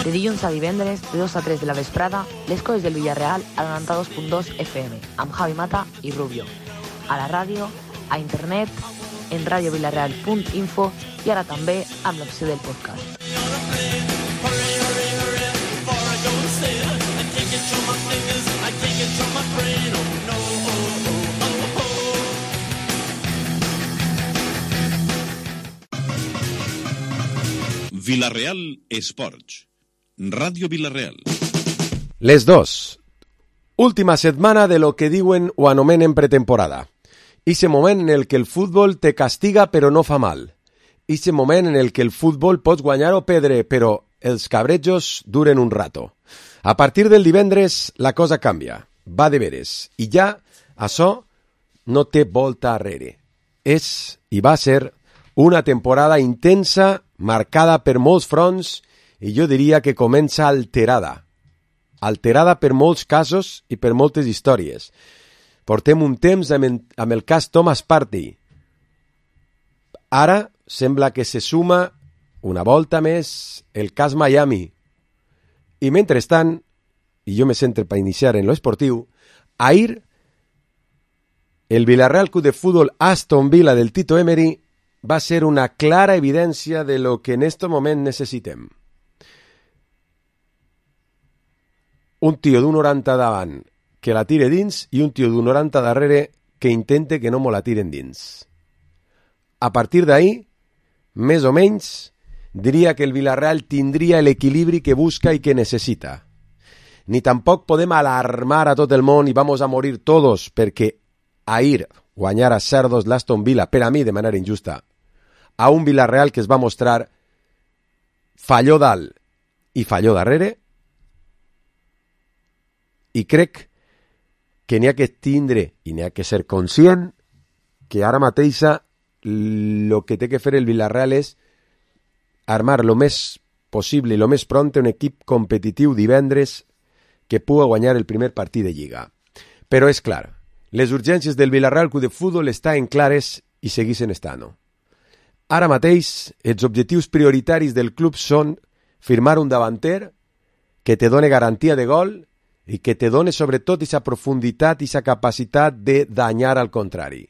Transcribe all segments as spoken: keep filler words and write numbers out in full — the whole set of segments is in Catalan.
De dilluns a divendres, de dos a tres de la vesprada, les coses del Villarreal a noranta-dos punt dos F M, amb Javi Mata i Rubio. A la ràdio, a internet, en radio villarreal punt info i ara també amb l'opció del podcast. Villarreal Esports. Ràdio Villarreal. Les dos. Última setmana de lo que diuen o anomenen pretemporada. Ixe moment en el que el futbol te castiga però no fa mal. Ixe moment en el que el futbol pots guanyar o perdre, però els cabrejos duren un rato. A partir del divendres la cosa canvia. Va de veres. I ja això no té volta arrere. És i va ser una temporada intensa, marcada per molts fronts, i jo diria que comença alterada. Alterada per molts casos i per moltes històries. Portem un temps amb, amb el cas Thomas Partey. Ara sembla que se suma una volta més el cas Miami. I mentrestant, i jo me centre per iniciar en lo esportiu, ahir el Villarreal Club de Fútbol Aston Villa del Tito Emery va ser una clara evidència de lo que en este moment necessitem. Un tio d'un noranta davant que la tire dins i un tio d'un noranta darrere que intente que no mo la tiren dins. A partir d'ahí, més o menys, diria que el Villarreal tindria l'equilibri que busca i que necessita. Ni tampoc podem alarmar a tot el món i vamos a morir todos perquè ahir guanyar a Cerdos l'Aston Villa, per a mi de manera injusta, a un Villarreal que es va mostrar falló dalt i falló darrere, i crec que n'hi ha que tindre i n'hi ha que ser conscient que ara mateixa el que té que fer el Villarreal és armar lo més possible i lo més pront un equip competitiu divendres que pugui guanyar el primer partit de Lliga. Però és clar, les urgències del Villarreal Club de Fútbol estan clares i segueixen estant. Ara mateix, els objectius prioritaris del club són firmar un davanter que te done garantia de gol i que te done sobretot aquesta profunditat i aquesta capacitat de danyar al contrari.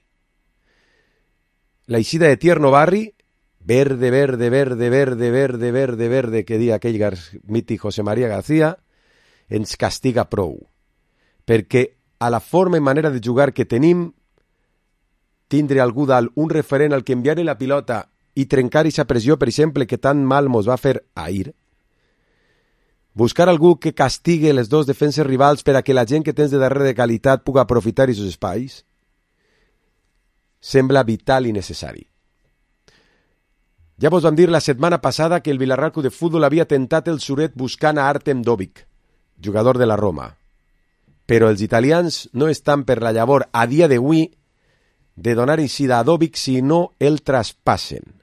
La eixida de Tierno Barri, verde, verde, verde, verde, verde, verde, verde, que dia aquell gar... mític José María García, ens castiga prou. Perquè a la forma i manera de jugar que tenim, tindre algú dalt, un referent al que enviar la pilota i trencar aquesta pressió, per exemple, que tan mal mos va fer ahir, buscar algú que castigue les dos defenses rivals per a que la gent que tens de darrere de qualitat pugui aprofitar aquests espais, sembla vital i necessari. Ja vos vam dir la setmana passada que el Villarreal Club de Fútbol havia tentat el suret buscant a Artem Dovic, jugador de la Roma. Però els italians no estan per la llavor a dia d'avui de donar eixida a Dovic si no el traspassen.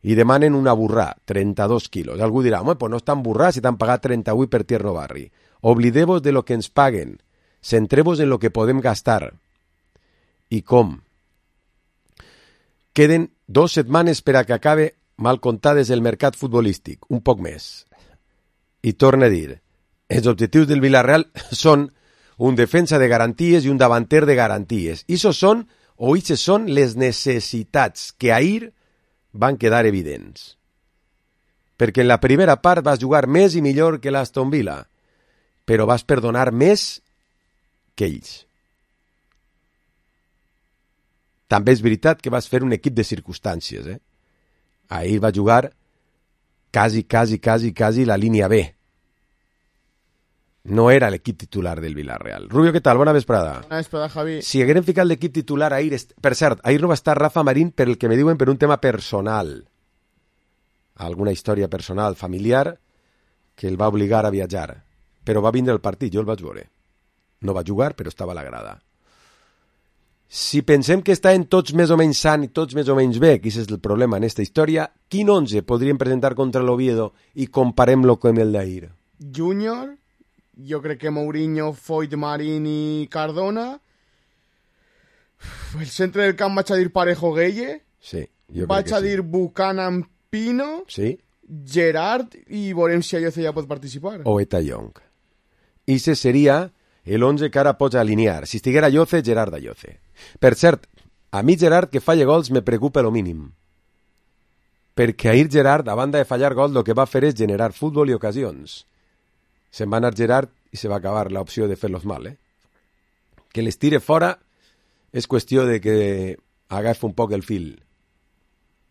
I demanen una burrà, trenta-dos quilos. Algú dirà, home, pues no estan burrà si t'han pagat trenta-vuit per Tierno Barri. Oblideu-vos de lo que ens paguen. Centreu-vos en lo que podem gastar. I com? Queden dos setmanes per a que acabe mal comptades el mercat futbolístic, un poc més. I torno a dir, els objectius del Villarreal són un defensa de garanties i un davanter de garanties. I això són, o ixes són les necessitats que ahir van quedar evidents. Perquè en la primera part vas jugar més i millor que l'Aston Villa, però vas perdonar més que ells. També és veritat que vas fer un equip de circumstàncies. Eh? Ahir va jugar quasi, quasi, quasi, quasi la línia B. No era l'equip titular del Villarreal. Rubio, què tal? Bona vesprada. Bona vesprada, Javi. Si hagueren ficat l'equip titular ahir... Per cert, ahir no va estar Rafa Marín per el que me diuen per un tema personal. Alguna història personal, familiar, que el va obligar a viatjar. Però va vindre el partit, jo el vaig veure. No va jugar, però estava a la grada. Si pensem que estan tots més o menys san i tots més o menys bé, que és el problema en aquesta història, quin onze podríem presentar contra l'Oviedo i comparem-lo amb el d'ahir? Júnior... Jo crec que Mourinho, Foyt, Marín i Cardona. El centre del camp vaig a dir Parejo Gueye. Sí, jo vaig crec que a sí. dir Buchanan Pino. Sí. Gerard i veurem si Ayoce ja pot participar. O Eta Young. I ese seria el onze que ara pots alinear. Si estiguera Ayoce, Gerard Ayoce. Per cert, a mi Gerard que falla gols me preocupa lo mínim. Perquè ahir Gerard, a banda de fallar gols, el que va fer és generar futbol i ocasions. Se'n va anar Gerard i se va acabar l'opció de fer-los mal, eh? Que les tire fora és qüestió de que agafa un poc el fil.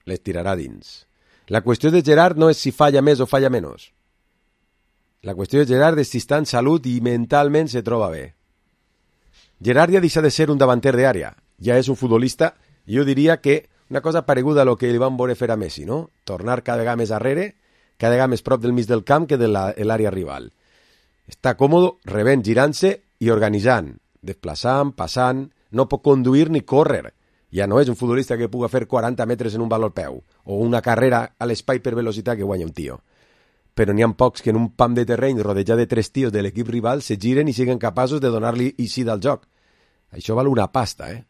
Les tirarà dins. La qüestió de Gerard no és si falla més o falla menys. La qüestió de Gerard és si està en salut i mentalment se troba bé. Gerard ja deixa de ser un davanter d'àrea. Ja és un futbolista, i jo diria que una cosa pareguda a lo que li van veure fer a Messi, no? Tornar cada vegada més arrere, cada vegada més prop del mig del camp que de l'àrea rival. Està còmode, rebent, girant-se i organitzant, desplaçant, passant, no pot conduir ni córrer. Ja no és un futbolista que puga fer quaranta metres en un valor peu, o una carrera a l'espai per velocitat que guanya un tio. Però n'hi ha pocs que en un pam de terreny rodejat de tres tios de l'equip rival se giren i siguen capaços de donar-li eixida al joc. Això val una pasta, eh?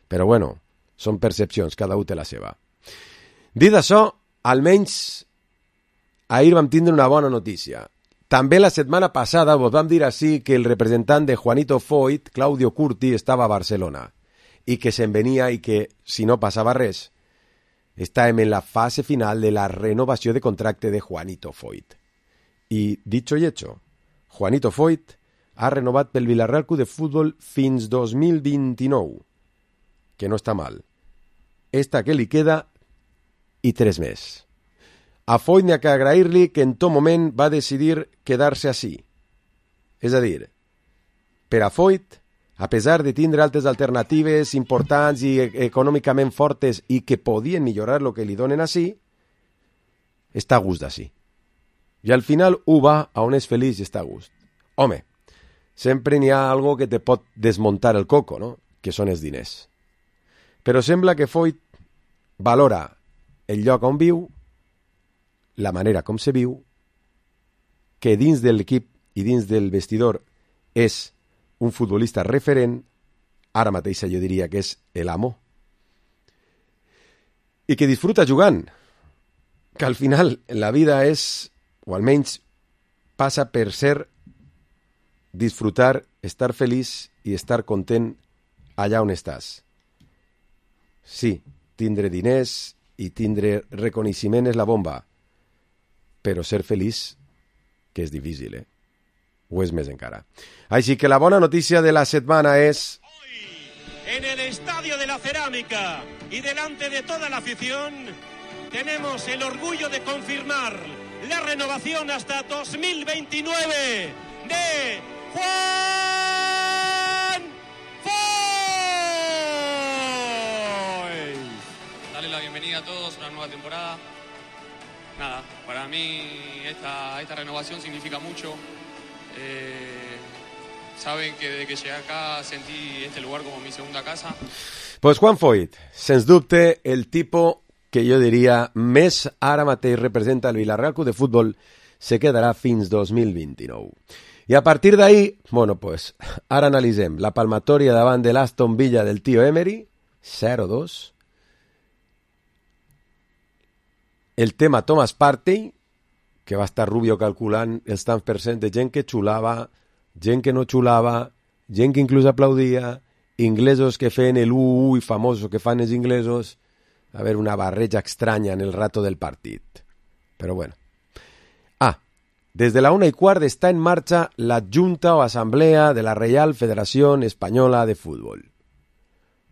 Però bueno, són percepcions, cada un té la seva. Dit això, almenys ahir vam tindre una bona notícia. També la setmana passada vos vam dir així que el representant de Juanito Foyt, Claudio Curti, estava a Barcelona i que se'n venia i que, si no passava res, estàvem en la fase final de la renovació de contracte de Juanito Foyt. I, dicho y hecho, Juanito Foyt ha renovat pel Villarreal Club de Futbol fins dos mil vint-i-nou, que no està mal. Esta que li queda i tres més. A Foyt n'hi ha que agrair-li que en tot moment va decidir quedar-se així. És a dir, per a Foyt, a pesar de tindre altres alternatives importants i econòmicament fortes i que podien millorar el que li donen així, està a gust d'ací. I al final ho va a on és feliç i està a gust. Home, sempre n'hi ha algo que te pot desmuntar el coco, no? Que són els diners. Però sembla que Foyt valora el lloc on viu, la manera com se viu, que dins de l'equip i dins del vestidor és un futbolista referent, ara mateix jo diria que és l'amo, i que disfruta jugant, que al final la vida és, o almenys passa per ser disfrutar, estar feliç i estar content allà on estàs. Sí, tindre diners i tindre reconeixement és la bomba, però ser feliç, que és difícil, eh? O és més encara. Així que la bona notícia de la setmana és... Hoy, en el Estadio de la Cerámica y delante de toda la afición, tenemos el orgullo de confirmar la renovación hasta dos mil veintinueve de Juan Foyt. Darle la bienvenida a todos a una nueva temporada. Nada, para mí esta, esta renovación significa mucho. Eh, saben que desde que llegué acá sentí este lugar como mi segunda casa. Pues Juan Foyt, sens dubte el tipo que jo diria més ara mateix representa el Villarreal Club de Futbol, se quedarà fins dos mil vint-i-nou. I a partir d'ahí, bueno, pues, ara analitzem la palmatòria davant de l'Aston Villa del tio Emery, zero dos. El tema Thomas Partey, que va estar Rubio calculant els tants per cent de gent que xulava, gent que no xulava, gent que inclús aplaudia, inglesos que feien el u i famosos que fan els inglesos. A veure, una barreja estranya en el rato del partit. Però bueno. Ah, des de la una i quart està en marxa la Junta o Assemblea de la Real Federación Española de Fútbol.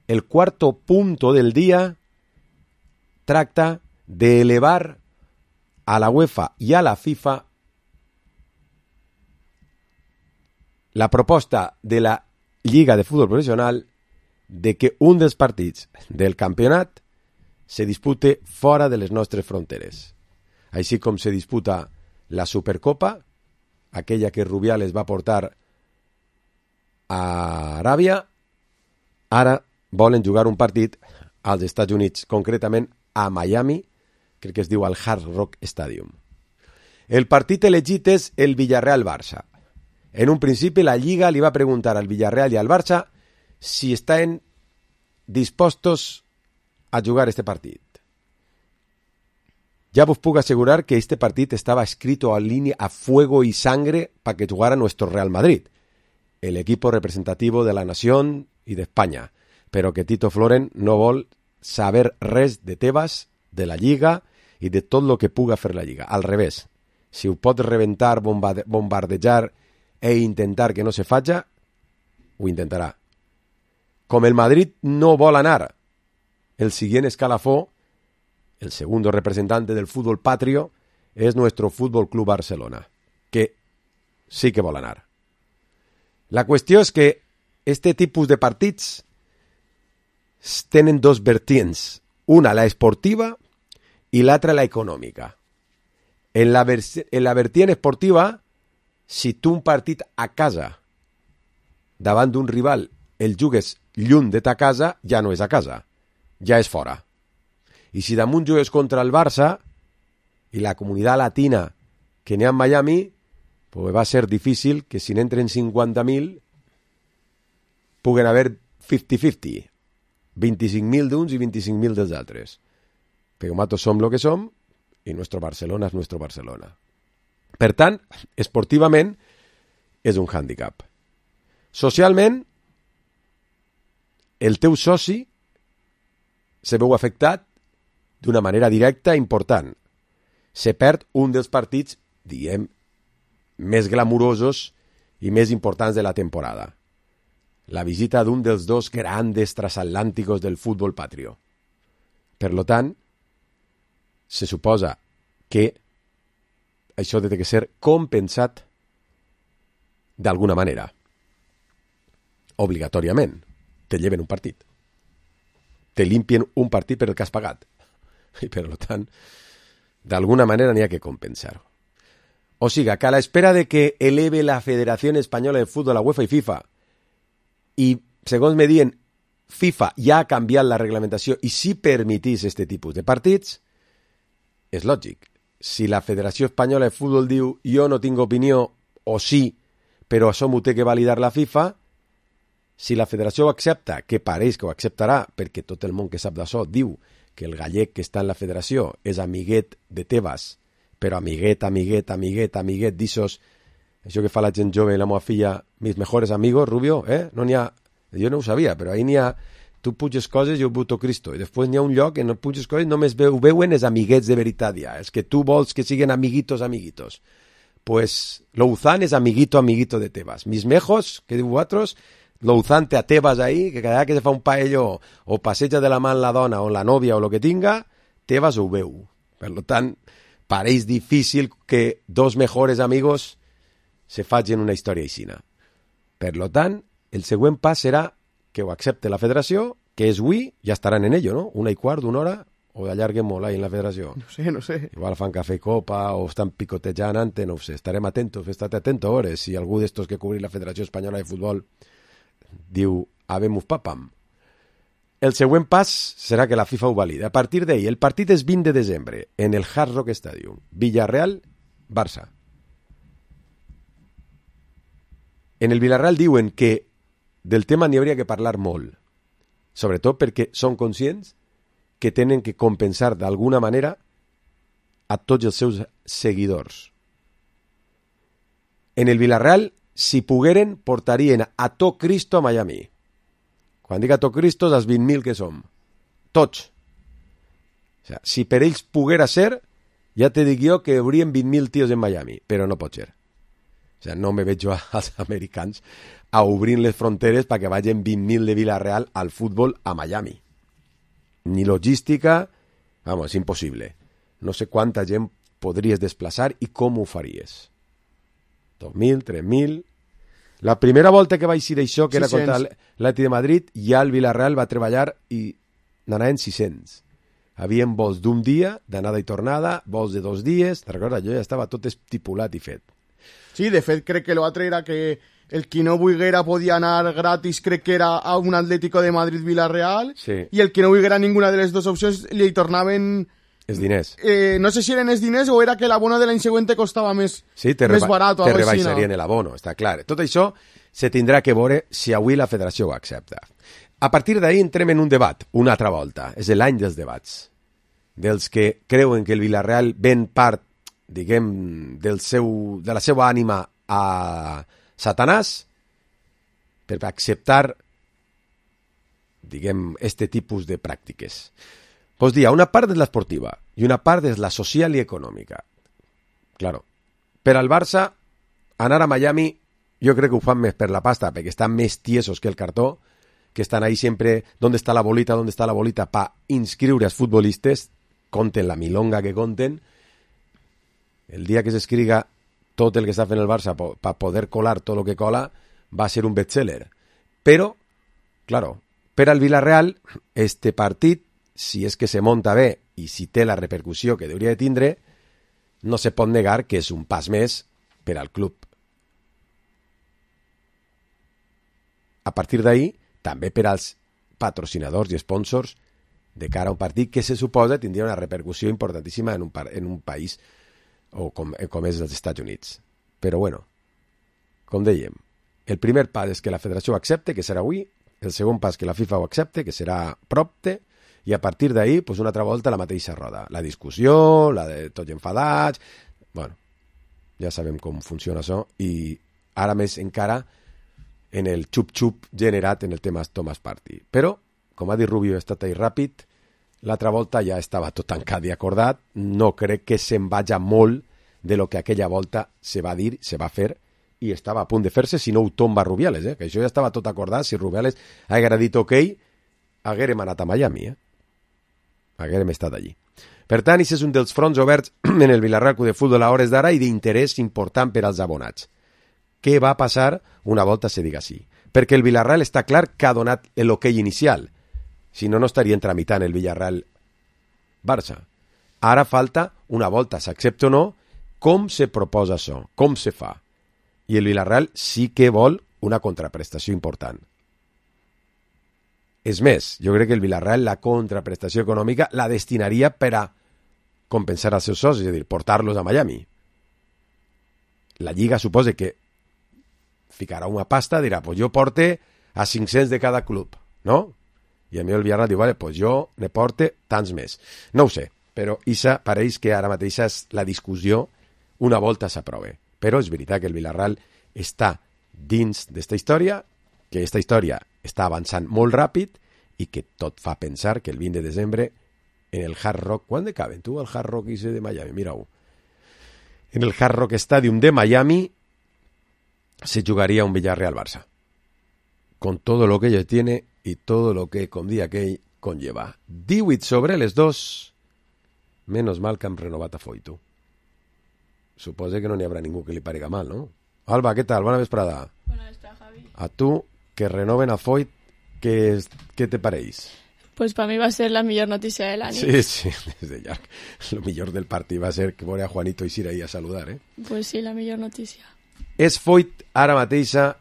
El cuarto punto del día tracta de elevar a la UEFA y a la FIFA la proposta de la Lliga de Futbol Professional de que un dels partits del campionat se dispute fora de les nostres fronteres. Així com se disputa la Supercopa, aquella que Rubiales va portar a Aràbia, ara volen jugar un partit als Estats Units, concretament a Miami, crec que es diu el Hard Rock Stadium. El partit elegit és el Villarreal-Barça. En un principi la Lliga li va preguntar al Villarreal i al Barça si estan dispostos a jugar este partit. ya vos puedo asegurar que este partido estaba escrito a línea a fuego y sangre para que jugara nuestro Real Madrid, el equipo representativo de la nación y de España, pero que Tito Floren no vol saber res de Tebas, de la Lliga i de tot lo que puga fer la Lliga. Al revés, si ho pot reventar, bombarde bombardejar e intentar que no se faci, ho intentarà. Com el Madrid no vol anar el siguiente escalafó, el segundo representante del fútbol patrio es nuestro Fútbol Club Barcelona, que sí que vol anar. La qüestió és que este tipus de partits tenen dos vertients, una la esportiva i l'altra la econòmica. En la, en la vertiente esportiva, si tu un partit a casa davant d'un rival el jugues lluny de ta casa, ja no és a casa, ja és fora. I si damunt jugues contra el Barça i la comunitat latina que n'hi ha en Miami, pues va ser difícil que si n'entren cinquanta mil puguen haver cinquanta cinquanta, vint-i-cinc mil d'uns i vint-i-cinc mil dels altres. Però nosaltres som el que som i nuestro Barcelona és nuestro Barcelona. Per tant, esportivament és un hàndicap. Socialment, el teu soci se veu afectat d'una manera directa important. Se perd un dels partits, diguem, més glamurosos i més importants de la temporada. La visita d'un dels dos grandes transatlànticos del futbol patrio. Per lo tant, se suposa que això ha de ser compensat d'alguna manera. Obligatòriament. Te lleven un partit. Te limpien un partit per el que has pagat. I per tant, d'alguna manera n'hi ha que compensar-ho. O sigui, que a l'espera de que eleve la Federació Espanyola de Futbol, la UEFA i FIFA, i, segons me diuen, FIFA ja ha canviat la reglamentació i si permetís este tipus de partits, és lògic. Si la Federació Espanyola de Futbol diu jo no tinc opinió, o sí, però això m'ho té que validar la FIFA, si la federació ho accepta, que pareix que ho acceptarà, perquè tot el món que sap d'això diu que el gallec que està en la federació és amiguet de Tebas, però amiguet, amiguet, amiguet, amiguet, d'ixos, això que fa la gent jove i la meva filla, mis mejores amigos, Rubio, eh? No n'hi ha, jo no ho sabia, però ahí n'hi ha, tu puges coses i jo buto Cristo, i després n'hi ha un lloc que no puges coses, només ho veuen els amiguets de veritat ja, els que tu vols que siguin amiguitos, amiguitos. Pues Louzán és amiguito, amiguito de Tebas. Mis mejos, que diu vosaltres, Louzán té a Tebas ahí, que cada vegada que se fa un paello o passeja de la mà la dona o la nòvia o el que tinga, Tebas ho veu. Per tant, pareix difícil que dos mejores amigos se facin una història aixina. Per tant, el següent pas serà que ho accepte la federació, que és avui, ja estaran en ello, no? Una i quart, una hora, o d'allarguen molt ahí en la federació. No sé, no sé. Igual fan cafè i copa, o estan picotejant antes, no ho sé. Estarem atentos, estate atento, a veure, si algú d'estos que cobrir la Federació Espanyola de Futbol diu, habemus papam. El següent pas serà que la FIFA ho valida. A partir d'ahí, el partit és vint de desembre, en el Hard Rock Stadium. Villarreal-Barça. En el Villarreal diuen que del tema n'hi hauria que parlar molt, sobretot perquè són conscients que tenen que compensar d'alguna manera a tots els seus seguidors. En el Villarreal, si pogueren, portarien a tot Cristo a Miami. Quan dic a tot Cristo, els vint mil que som. Tots. O sea, si per ells poguera ser, ja te dic jo que haurien vint mil tios en Miami, però no pot ser. O sea, no me veig jo als americans a obrir les fronteres perquè vagin vint mil de Villarreal al futbol a Miami. Ni logística, vamos, és impossible. No sé quanta gent podries desplaçar i com ho faries. dos mil, tres mil... La primera volta que vaig dir això, que era contra l'Atlètic de Madrid, ja el Villarreal va treballar i n'anaven sis-cents. Havien vols d'un dia, d'anada i tornada, vols de dos dies... Te'n recordes? Jo ja estava tot estipulat i fet. Sí, de fet, crec que l'altre era que el qui no volguera podia anar gratis, crec que era a un Atlético de Madrid-Villarreal, sí. I el que no volguera ninguna de les dues opcions li tornaven... Els diners. Eh, no sé si eren els diners o era que l'abono de l'any següent costava més, sí, te més reba barat o te alguna cosa així. Te rebaixarien l'abono, està clar. Tot això se tindrà que veure si avui la federació ho accepta. A partir d'ahí entrem en un debat, una altra volta. És l'any dels debats. dels que creuen que el Villarreal ven part, diguem, del seu, de la seva ànima a Satanàs per acceptar, diguem, este tipus de pràctiques. Pues dir, una part és l'esportiva i una part és la social i econòmica. Claro, per al Barça, anar a Miami, jo crec que ho fan més per la pasta, perquè estan més tiesos que el cartó, que estan ahí sempre, ¿dónde está la bolita? ¿Dónde está la bolita? Pa inscriure als futbolistes, conten la milonga que conten. El dia que s'escriga tot el que està fent el Barça per poder colar tot el que cola, va a ser un bestseller. Però, claro, per al Villarreal, este partit, si és que se monta bé i si té la repercussió que hauria de tindre, no se pot negar que és un pas més per al club. A partir d'ahí, també per als patrocinadors i sponsors de cara a un partit que se suposa tindria una repercussió importantíssima en un, en un país o com, com és els Estats Units. Però bueno, com dèiem, el primer pas és que la federació ho accepte, que serà avui, el segon pas que la FIFA ho accepte, que serà propte, i a partir d'ahí, pues una altra volta la mateixa roda. La discussió, la de tots enfadats... Bueno, ja sabem com funciona això, i ara més encara en el xup-xup generat en el tema Thomas Partey. Però, com ha dit Rubio, ha estat ahí ràpid, l'altra volta ja estava tot tancat i acordat, no crec que se'n vaja molt de lo que aquella volta se va dir, se va fer, i estava a punt de fer-se si no ho tomba Rubiales, eh? Que això ja estava tot acordat, si Rubiales haguera dit ok, haguérem anat a Miami, eh? haguérem estat allí. Per tant, això és un dels fronts oberts en el Villarreal Club de Futbol a hores d'ara i d'interès important per als abonats. Què va passar una volta se diga sí? Perquè el Villarreal està clar que ha donat l'ok inicial. Si no, no estarien tramitant el Villarreal-Barça. Ara falta, una volta s'accepta o no, com se proposa això, com se fa. I el Villarreal sí que vol una contraprestació important. És més, jo crec que el Villarreal la contraprestació econòmica la destinaria per a compensar els seus socis, és a dir, portar-los a Miami. La Lliga suposa que ficarà una pasta, dirà, pues jo porte a cinc-cents de cada club, no? I a mi el Villarreal diu, vale, pues jo ne porte tants més. No ho sé, però isa pareix que ara mateix és la discussió una volta s'aprove. Però és veritat que el Villarreal està dins d'esta història, que aquesta història està avançant molt ràpid i que tot fa pensar que el vint de desembre en el Hard Rock... ¿Quan de caben tu al Hard Rock ese de Miami? Mira-ho. En el Hard Rock Stadium de Miami se jugaría un Villarreal-Barça. Con todo lo que ello tiene y todo lo que con día que conlleva. divuit sobre les dos. Menos mal que han renovat a Foyt, tu. Suposa que no n'hi haurà ningú que li parega mal, no? Alba, què tal? Bona vesprada. Bona vesprada, Javi. A tu, que renoven a Foyt, què, què te pareix? Pues para mí va a ser la millor notícia de l'any. Sí, sí, des de llarg. Lo millor del partit va ser que veure a Juanito i Sira ahí a saludar, eh? Pues sí, la millor notícia. És Foyt ara mateixa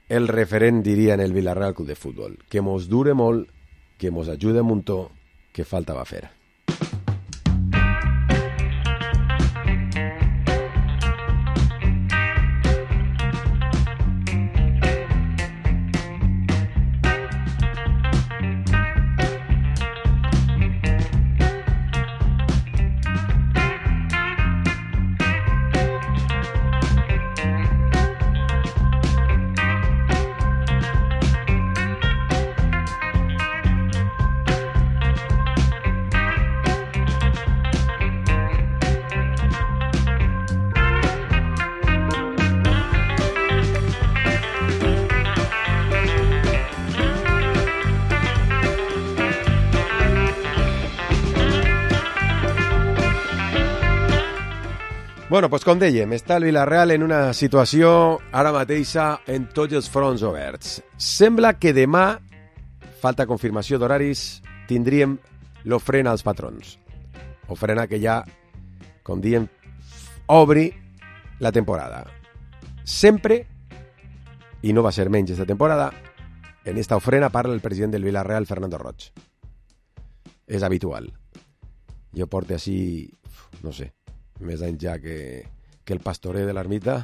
el referent, diria, en el Villarreal Club de Futbol. Que mos dure molt, que mos ajude un muntó, que falta va fer. Bueno, doncs com dèiem, està el Villarreal en una situació ara mateixa en tots els fronts oberts. Sembla que demà, falta confirmació d'horaris, tindríem l'ofrena als patrons. Ofrena que ja, com diem, obri la temporada. Sempre, i no va ser menys aquesta temporada, en esta ofrena parla el president del Villarreal, Fernando Roig. És habitual. Jo porto així, no sé, més anys ja que, que el pastorer de l'ermita,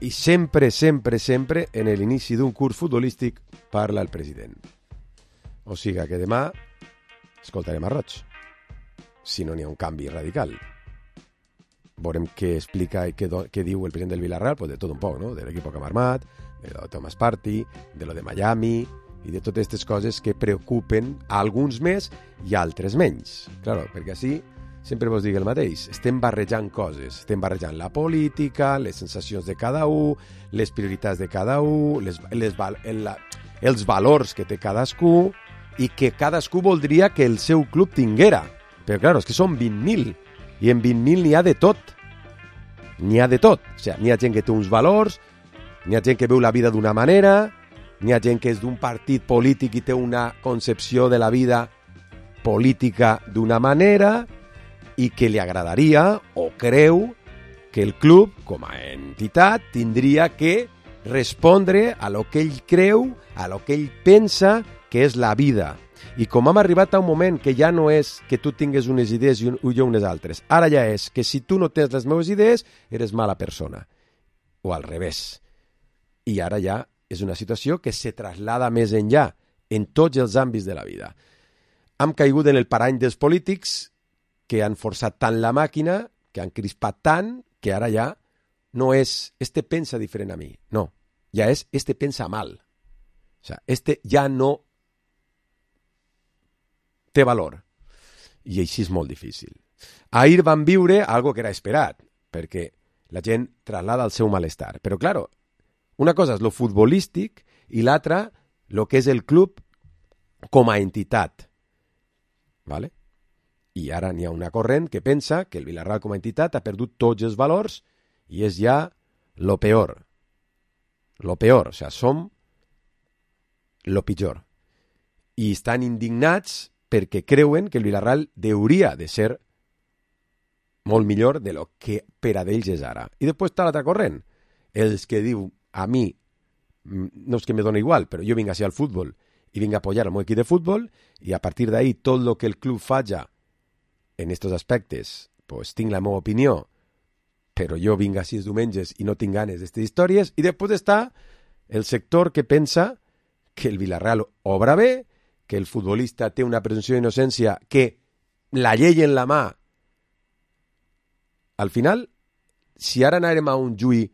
i sempre, sempre, sempre en l'inici d'un curs futbolístic parla el president. O sigui que demà escoltarem a Roig. si no n'hi ha un canvi radical. Veurem què explica i què, do, què diu el president del Villarreal, pues de tot un poc, no? De l'equip que hem armat, de lo de Thomas Partey, de lo de Miami i de totes aquestes coses que preocupen a alguns més i a altres menys. Claro, perquè així sempre vos dic el mateix, estem barrejant coses, estem barrejant la política, les sensacions de cada un, les prioritats de cada un, les, les, el, els valors que té cadascú i que cadascú voldria que el seu club tinguera. Però clar, és que són vint mil i en vint mil n'hi ha de tot. N'hi ha de tot. O sigui, n'hi ha gent que té uns valors, n'hi ha gent que veu la vida d'una manera, n'hi ha gent que és d'un partit polític i té una concepció de la vida política d'una manera i que li agradaria o creu que el club, com a entitat, tindria que respondre a lo que ell creu, a lo que ell pensa que és la vida. I com hem arribat a un moment que ja no és que tu tingues unes idees i jo unes altres, ara ja és que si tu no tens les meves idees, eres mala persona. O al revés. I ara ja és una situació que se traslada més enllà, en tots els àmbits de la vida. Hem caigut en el parany dels polítics que han forçat tant la màquina, que han crispat tant, que ara ja no és este pensa diferent a mi, no, ja és este pensa mal. O sea, este ja no té valor. I així és molt difícil. Ahir van viure algo que era esperat, perquè la gent traslada el seu malestar. Però, claro, una cosa és lo futbolístic i l'altra, lo que és el club com a entitat. ¿Vale? I ara n'hi ha una corrent que pensa que el Villarreal com a entitat ha perdut tots els valors i és ja lo peor. Lo peor, o sigui, som lo pitjor. I estan indignats perquè creuen que el Villarreal hauria de ser molt millor de lo que per a d'ells és ara. I després està l'altra corrent, els que diu a mi, no és que me dona igual, però jo vinc a ser al futbol i vinc a apoyar el meu equip de futbol i a partir d'ahí tot lo que el club faja en estos aspectes, pues tinc la meva opinió, però jo vinc així els diumenges i no tinc ganes d'aquestes històries, i després està el sector que pensa que el Villarreal obra bé, que el futbolista té una presumpció d'innocència, que la llei en la mà. Al final, si ara anàrem a un juí,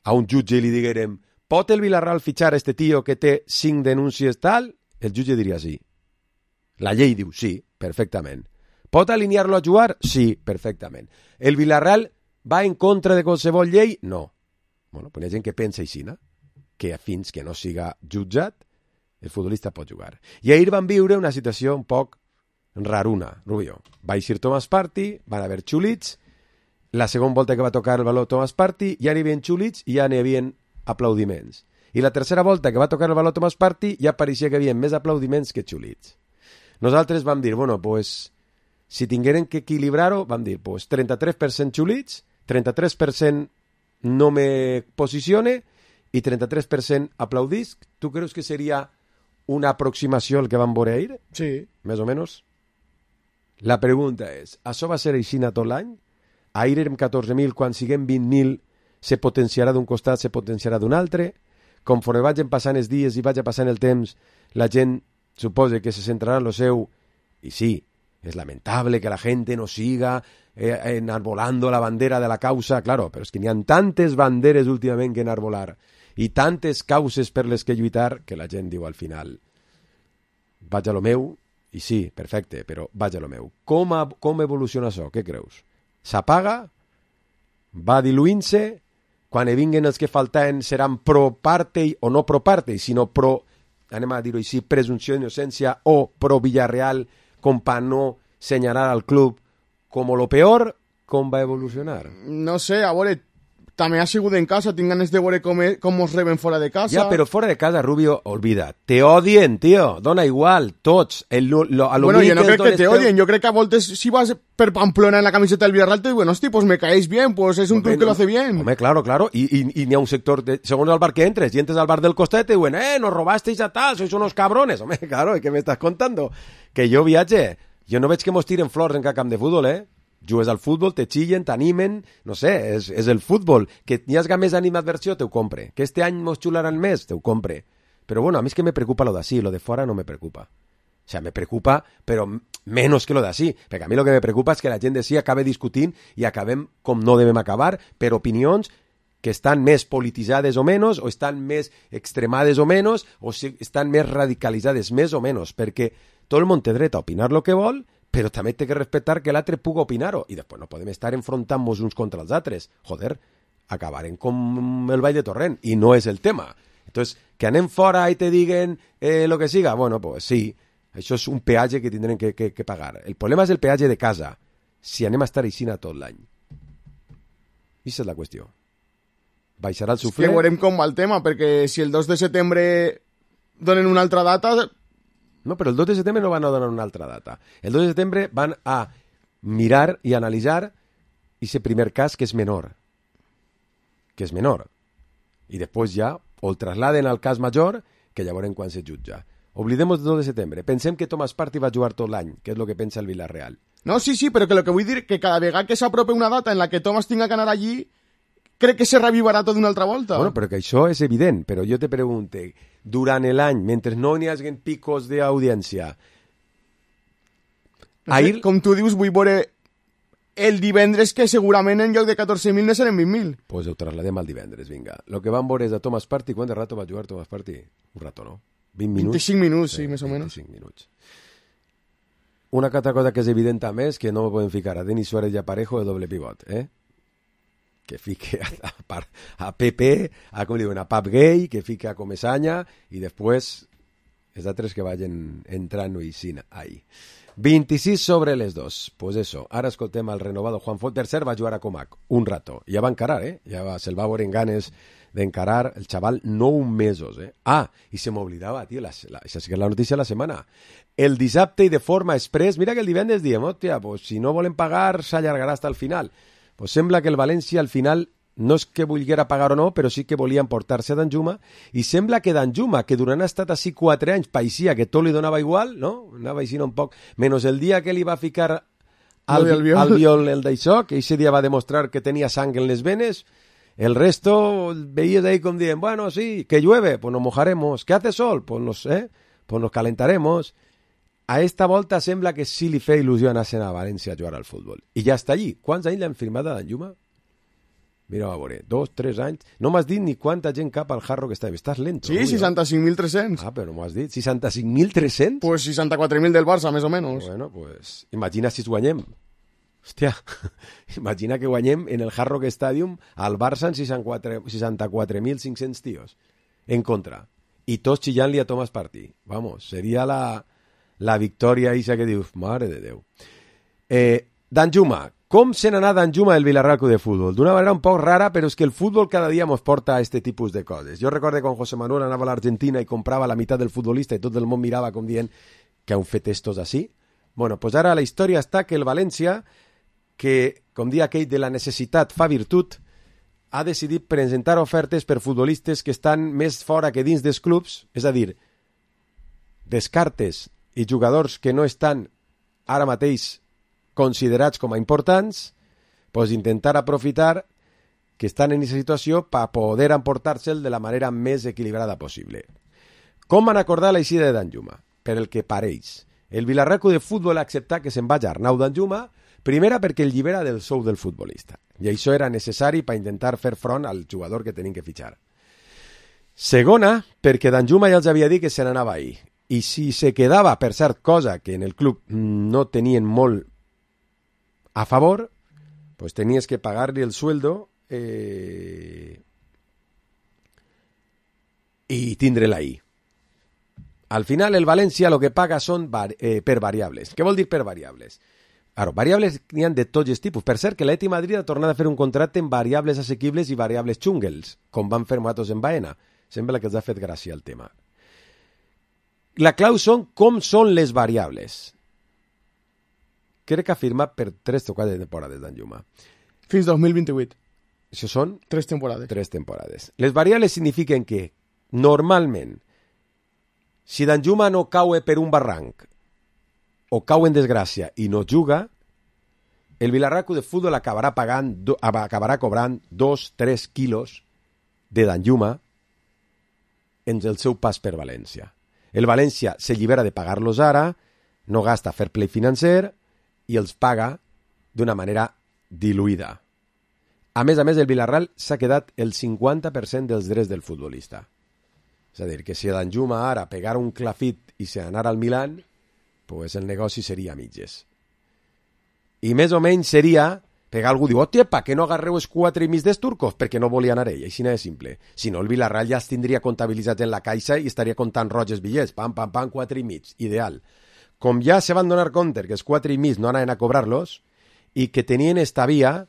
a un jutge i li diguérem pot el Villarreal fitxar a este tio que té cinc denúncies tal? El jutge diria sí. La llei diu sí, perfectament. Pot alinear-lo a jugar? Sí, perfectament. El Villarreal va en contra de qualsevol llei? No. Bueno, pues hi ha gent que pensa així, no? Que fins que no siga jutjat, el futbolista pot jugar. I ahir van viure una situació un poc raruna, Rubio. Va eixir Thomas Partey, van haver xulits, la segona volta que va tocar el baló Thomas Partey ja n'hi havia xulits i ja n'hi havia aplaudiments. I la tercera volta que va tocar el baló Thomas Partey ja pareixia que hi havia més aplaudiments que xulits. Nosaltres vam dir, bueno, pues si tingueren que equilibrar-ho, vam dir, pues trenta-tres per cent xulits, trenta-tres per cent no me posicione i trenta-tres per cent aplaudisc. Tu creus que seria una aproximació al que vam veure ahir? Sí. Més o menys. La pregunta és, això va ser així tot l'any? Ahir érem catorze mil, quan siguem vint mil se potenciarà d'un costat, se potenciarà d'un altre? Conforme vagin passant els dies i vagi passant el temps, la gent suposa que se centrarà en lo seu, i sí, es lamentable que la gente no siga eh, enarbolando la bandera de la causa, claro, però és que n'hi ha tantes banderes últimament que enarbolar i tantes causes per les que lluitar que la gent diu al final vaig a lo meu, i sí, perfecte, però vaig a lo meu. Com, a, com evoluciona això? Què creus? S'apaga? Va diluint-se? Quan hi vinguen els que falten seran pro Partey o no pro Partey, sinó pro, anem a dir-ho així, presumpció d'innocència o pro Villarreal, com per no senyalar al club com lo peor, com va evolucionar? No sé, a veure, també ha sigut en casa, tinc ganes de veure com, com us reben fora de casa. Ja, però fora de casa, Rubio, olvida, te odien, tio, dona igual, tots. El, lo, a lo bueno, jo no crec que te teu... odien, jo crec que a voltes si vas per Pamplona en la camiseta del Villarreal te diuen, hosti, pues me caéis bien, pues es un Hombre, club que lo hace bien. Home, claro, claro, i, i, i n'hi ha un sector, de, segons el bar que entres, i entres al bar del costat te diuen, eh, nos robasteis a tal, sois unos cabrones. Home, claro, ¿qué me estás contando? Que jo viatge, jo no veig que mos tiren flors en cada camp de futbol, eh? Jugues al futbol, te xillen, t'animen, no sé, és, és el futbol. Que n'hi hagi més animadversió, te ho compre. Que este any mos xularan més, te ho compre. Però bueno, a mi és que me preocupa lo d'ací, lo de fora no me preocupa. sea, me preocupa, però menos que lo d'ací, perquè a mi el que me preocupa és que la gent d'ací acabe discutint i acabem com no devem acabar per opinions que estan més polititzades o menys, o estan més extremades o menys, o si estan més radicalitzades més o menys, perquè tot el món té dret a opinar el que vol, però també té que respectar que l'altre pugui opinar-ho, i després no podem estar enfrontant-nos uns contra els altres. Joder, acabarem com el ball de torrent, i no és el tema. Entonces, que anem fora i te diguen eh, lo que siga, bueno, pues sí, això és un peatge que tindrem que, que, que pagar. El problema és el peatge de casa, si anem a estar aixina tot l'any. I aquesta és la qüestió. Baixarà el suflé... És que veurem com va el tema, perquè si el dos de setembre donen una altra data... No, però el dos de setembre no van a donar una altra data. El dos de setembre van a mirar i analitzar aquest primer cas que és menor. Que és menor. I després ja o el trasladen al cas major, que ja veurem quan se jutja. Oblidem el dos de setembre. Pensem que Thomas Partey va jugar tot l'any, que és el que pensa el Villarreal. No, sí, sí, però que lo que vull dir que cada vegada que s'aprope una data en la que Thomas tinga que anar allí, crec que se revivarà tot d'una altra volta. Bueno, però que això és evident, però jo te pregunte, durant l'any, mentre no n'hi hagi picos d'audiència, no sé, ahir... com tu dius, vull veure el divendres que segurament en lloc de catorze mil no seran vint mil. Pues ho trasladem al divendres, vinga. Lo que van veure és a Thomas Partey. ¿Cuánto rato va jugar Thomas Partey? Un rato, no? vint minuts? vint-i-cinc minuts, sí, sí més o menys. vint-i-cinc minuts. Una altra cosa que és evident també és que no me poden ficar a Denis Suárez i a Parejo de doble pivot, eh? Que fique a, a, a Pepe, a, com diuen, a Pap Gay, que fique a Comesaña, i després els altres que vagin entrant i sin ahí. vint-i-sis sobre les dos. Pues eso, ara escoltem el renovado Juan Font. Tercer va jugar a Comac, un rato. Ja va encarar, eh? Ja va, se'l va veure en ganes d'encarar el xaval nou mesos, eh? Ah, i se m'oblidava, tio, la, la, això sí que és la notícia de la setmana. El dissabte i de forma express, mira que el divendres diem, hòstia, pues si no volen pagar, s'allargarà fins al final. Pues sembla que el València al final no és que volguera pagar o no, però sí que volien portar-se a Danjuma, i sembla que Danjuma, que durant ha estat així quatre anys, paeixia que tot li donava igual, no? Anava així un poc, menys el dia que li va ficar al, al, viol. al viol el d'això, que ese dia va demostrar que tenia sang en les venes, el resto veías ahí com dient, bueno, sí, que llueve, pues nos mojaremos, que hace sol, pues nos, eh, pues nos calentaremos. A esta volta sembla que sí li feia il·lusió anar-se'n a València a jugar al futbol. I ja està allí. Quants anys l'han firmat a Danjuma? Mira, va veure, dos, tres anys. No m'has dit ni quanta gent cap al Jarro que està. Estàs lento. Sí, no, seixanta-cinc mil tres-cents. Ah, però no m'ho has dit. seixanta-cinc mil tres-cents? Pues seixanta-quatre mil del Barça, més o menys. Bueno, pues imagina si es guanyem. Hòstia, imagina que guanyem en el Hard Rock Stadium al Barça en seixanta-quatre mil cinc-cents tios. En contra. I tots xillant-li a Thomas Partey. Vamos, seria la, la victòria isa que dius, mare de Déu. Eh, Danjuma. Com se n'anà Danjuma del Villarreal Club de Fútbol? D'una manera un poc rara, però és que el futbol cada dia ens porta a este tipus de coses. Jo recordo quan José Manuel anava a l'Argentina i comprava la meitat del futbolista i tot el món mirava com dient que han fet estos així. Bueno, pues ara la història està que el València, que, com dia aquell de la necessitat fa virtut, ha decidit presentar ofertes per futbolistes que estan més fora que dins dels clubs, és a dir, descartes i jugadors que no estan ara mateix considerats com a importants, pues intentar aprofitar que estan en aquesta situació per poder emportar-se'l de la manera més equilibrada possible. Com van acordar la eixida de Danjuma? Per el que pareix. El Villarreal Club de Futbol ha acceptat que se'n vagi Arnau Danjuma, primera perquè el llibera del sou del futbolista, i això era necessari per intentar fer front al jugador que tenien que fitxar. Segona, perquè Danjuma ja els havia dit que se n'anava ahir, i si se quedava, per cert, cosa que en el club no tenien molt a favor, pues tenies que pagar-li el sueldo eh, i tindre-la ahí. Al final el València lo que paga són var eh, per variables. Què vol dir per variables? Claro, variables n'hi ha de tots els tipus. Per cert, que l'Atlètic Madrid ha tornat a fer un contracte en variables assequibles i variables xungles, com van fer nosaltres en Baena. Sembla que els ha fet gràcia el tema. La clau són com són les variables. Crec que ha firmat per tres o quatre temporades Danjuma. Fins dos mil vint-i-vuit. Això són? Tres temporades. Tres temporades. Les variables signifiquen que, normalment, si Danjuma no cau per un barranc o cau en desgràcia i no juga, el Villarreal Club de Futbol acabarà pagant, do, acabarà cobrant dos, tres quilos de Danjuma en el seu pas per València. El València s'allibera de pagar-los ara, no gasta fair play financer i els paga d'una manera diluïda. A més a més, el Villarreal s'ha quedat el cinquanta per cent dels drets del futbolista. És a dir, que si Danjuma ara pegara un clafit i se anara al Milan, pues el negoci seria a mitges. I més o menys seria pegar algú, diu, hòstia, pa què no agarreu els quatre i mig dels turcos? Perquè no volia anar ell, així no és simple. Si no, el Villarreal ja es tindria comptabilitzat en la caixa i estaria comptant roges bitllets, pam, pam, pam, quatre i mig, ideal. Com ja se van donar compte que els quatre i mig no anaven a cobrar-los i que tenien esta via,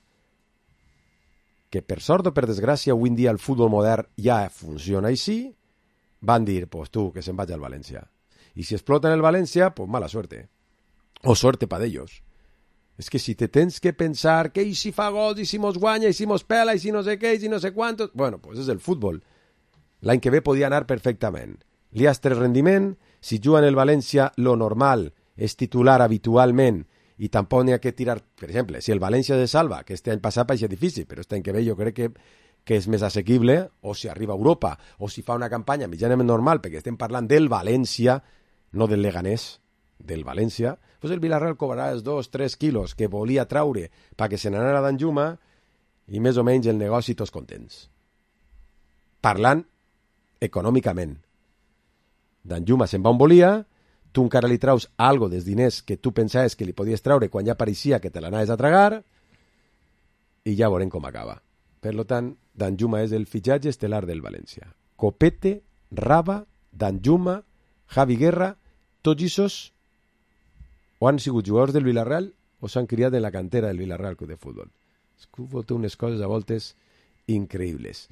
que per sort o per desgràcia avui en dia el futbol modern ja funciona així, van dir, pues tu, que se'n vaig al València. I si exploten el València, pues mala suerte. O suerte pa d'ells. És que si te tens que pensar que i si fa gols, i si mos guanya, i si mos pela, i si no sé què, i si no sé quantos... Bueno, pues és el futbol. L'any que ve podia anar perfectament. Li has tres rendiment, si juga en el València, lo normal és titular habitualment i tampoc n'hi ha que tirar... Per exemple, si el València se salva, que este any passat va ser difícil, però este any que ve jo crec que, que és més assequible, o si arriba a Europa, o si fa una campanya mitjanament normal, perquè estem parlant del València, no del Leganés, del València, pues el Villarreal cobrarà els dos tres quilos que volia traure perquè se n'anara a Danjuma i més o menys el negoci tots contents. Parlant econòmicament. Danjuma se'n va on volia, tu encara li traus algo dels diners que tu pensaves que li podies traure quan ja pareixia que te l'anaves a tragar i ja veurem com acaba. Per tant, Danjuma és el fitxatge estel·lar del València. Copete, Raba, Danjuma, Javi Guerra, tots aquests o han sigut jugadors del Villarreal o s'han criat en la cantera del Villarreal Club de Futbol. El futbol té unes coses a voltes increïbles.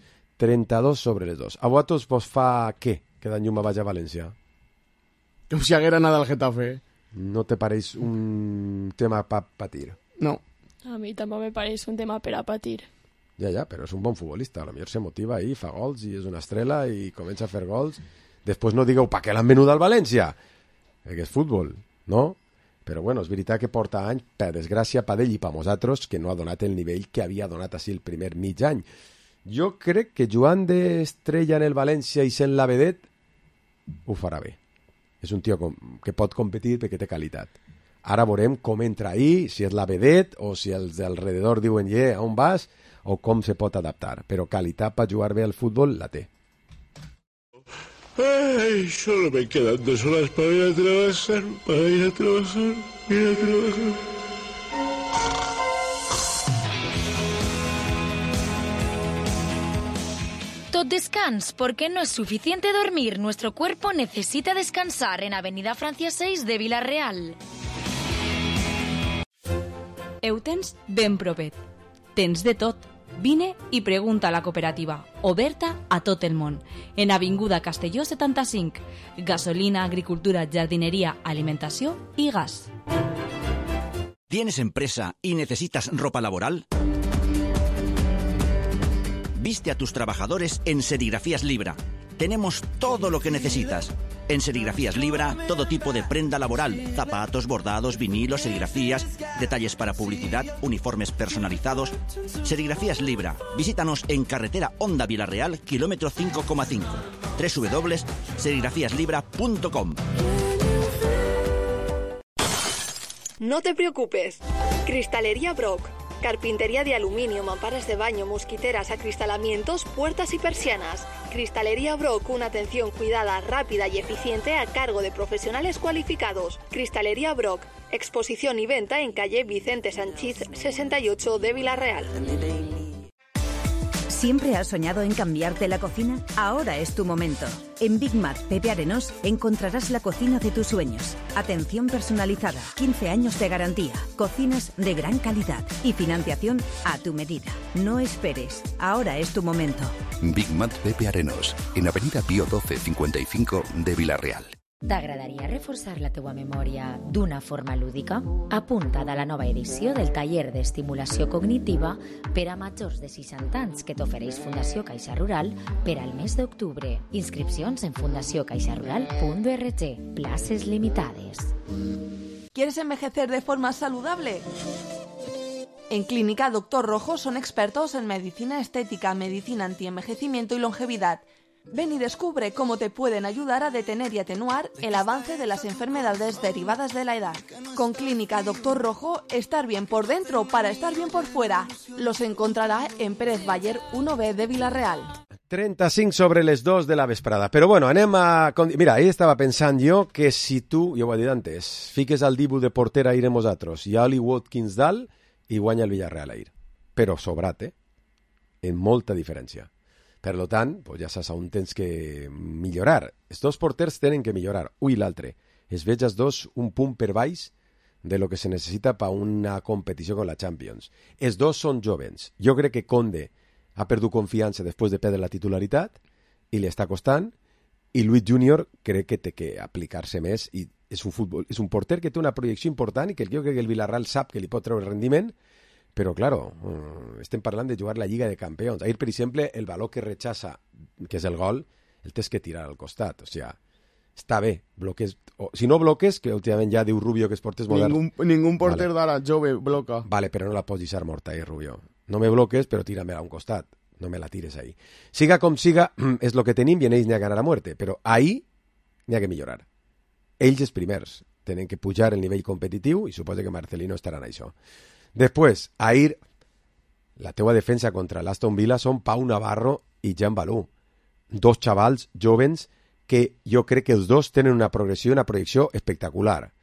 trenta-dos sobre les dos. A vosaltres vos fa què que Danjuma vagi a València? Com si haguera anat al Getafe. No te pareix un tema per patir? No. A mi tampoc me pareix un tema per a patir. Ja, ja, però és un bon futbolista. A lo millor se motiva ahí, fa gols i és una estrela i comença a fer gols. Després no digueu, pa què l'han venut al València? Que és futbol, no? Però bueno, és veritat que porta anys, per desgràcia, pa d'ell i pa nosaltres, que no ha donat el nivell que havia donat així el primer mig any. Jo crec que jugant d'estrella en el València i sent la vedet, ho farà bé. És un tio que pot competir perquè té qualitat. Ara veurem com entra ahí, si és la vedet o si els d'alrededor diuen, yeah, on vas, o com se pot adaptar. Però qualitat per jugar bé al futbol la té. Ay, solo me quedan dos horas para ir a trabajar, para ir a trabajar, ir a trabajar. Tot descans, porque no es suficiente dormir. Nuestro cuerpo necesita descansar en Avenida Francia seis de Vila-real. Ho tens ben propet. Tens de tot. Vine i pregunta a la cooperativa, oberta a tot el món, en Avinguda Castelló setanta-cinc. Gasolina, agricultura, jardineria, alimentació i gas. ¿Tienes empresa y necesitas ropa laboral? Viste a tus trabajadores en Serigrafías Libra. Tenemos todo lo que necesitas. En Serigrafías Libra, todo tipo de prenda laboral, zapatos, bordados, vinilos, serigrafías, detalles para publicidad, uniformes personalizados. Serigrafías Libra. Visítanos en carretera Honda Vila-real, kilómetro cinco coma cinco. doble u doble u doble u punto serigrafías libra punto com. No te preocupes. Cristalería Brock. Carpintería de aluminio, mamparas de baño, mosquiteras, acristalamientos, puertas y persianas. Cristalería Brock, una atención cuidada, rápida y eficiente a cargo de profesionales cualificados. Cristalería Brock, exposición y venta en calle Vicente Sanchís sesenta y ocho de Vila-real. ¿Siempre has soñado en cambiarte la cocina? Ahora es tu momento. En Big Mac Pepe Arenós encontrarás la cocina de tus sueños. Atención personalizada, quince años de garantía, cocinas de gran calidad y financiación a tu medida. No esperes, ahora es tu momento. Big Mac Pepe Arenós, en Avenida Pío doce cincuenta y cinco de Vila-real. T'agradaria reforçar la teua memòria d'una forma lúdica? Apunta't a la nova edició del taller d'estimulació cognitiva per a majors de seixanta anys que t'ofereix Fundació Caixa Rural per al mes d'octubre. Inscripcions en fundació caixa rural punt org. Places limitades. ¿Quieres envejecer de forma saludable? En Clínica Doctor Rojo son expertos en medicina estética, medicina antienvejecimiento y longevidad. Ven y descubre cómo te pueden ayudar a detener y atenuar el avance de las enfermedades derivadas de la edad. Con Clínica Doctor Rojo, estar bien por dentro para estar bien por fuera. Los encontrará en Pérez Bayer uno B de Vila-real. trenta-cinc sobre les dos de la vesprada. Però bueno, anem a... Mira, ahir estava pensant jo que si tu, jo ho he dit antes, fiques al Dibu de porter a ir nosaltres i a Oli Watkins dalt i guanya el Villarreal a ir. Però sobrat, eh? En molta diferència. Per tant, pues ja saps on tens que millorar. Els dos porters tenen que millorar, un i l'altre. Es veig els dos un punt per baix de lo que se necessita per una competició com la Champions. Els dos són jovens. Jo crec que Conde ha perdut confiança després de perdre la titularitat i li està costant, i Luis Junior crec que té que aplicar-se més i és un, futbol, és un porter que té una projecció important i que jo crec que el Villarreal sap que li pot treure rendiment. Però, claro, estem parlant de jugar la Lliga de Campions. Ahir, per exemple, el valor que rechaça, que és el gol, el tens que tirar al costat. O sigui, està bé. Bloques, o, si no bloques, que últimament ja diu Rubio que els porters moderns... Ningú, ningú porter vale. D'ara jove bloca. Vale, però no la pots deixar morta, eh, Rubio. No me bloques, però tira-me-la a un costat. No me la tires ahí. Siga com siga, és lo que tenim i en ells n'hi ha ganar a muerte. Però ahí n'hi ha que millorar. Ells els primers tenen que pujar el nivell competitiu i suposo que Marcelino estarà en això. Després, ahir, la teua defensa contra l'Aston Villa són Pau Navarro i Jan Balú. Dos xavals jovens que jo crec que els dos tenen una progressió i una projecció espectacular.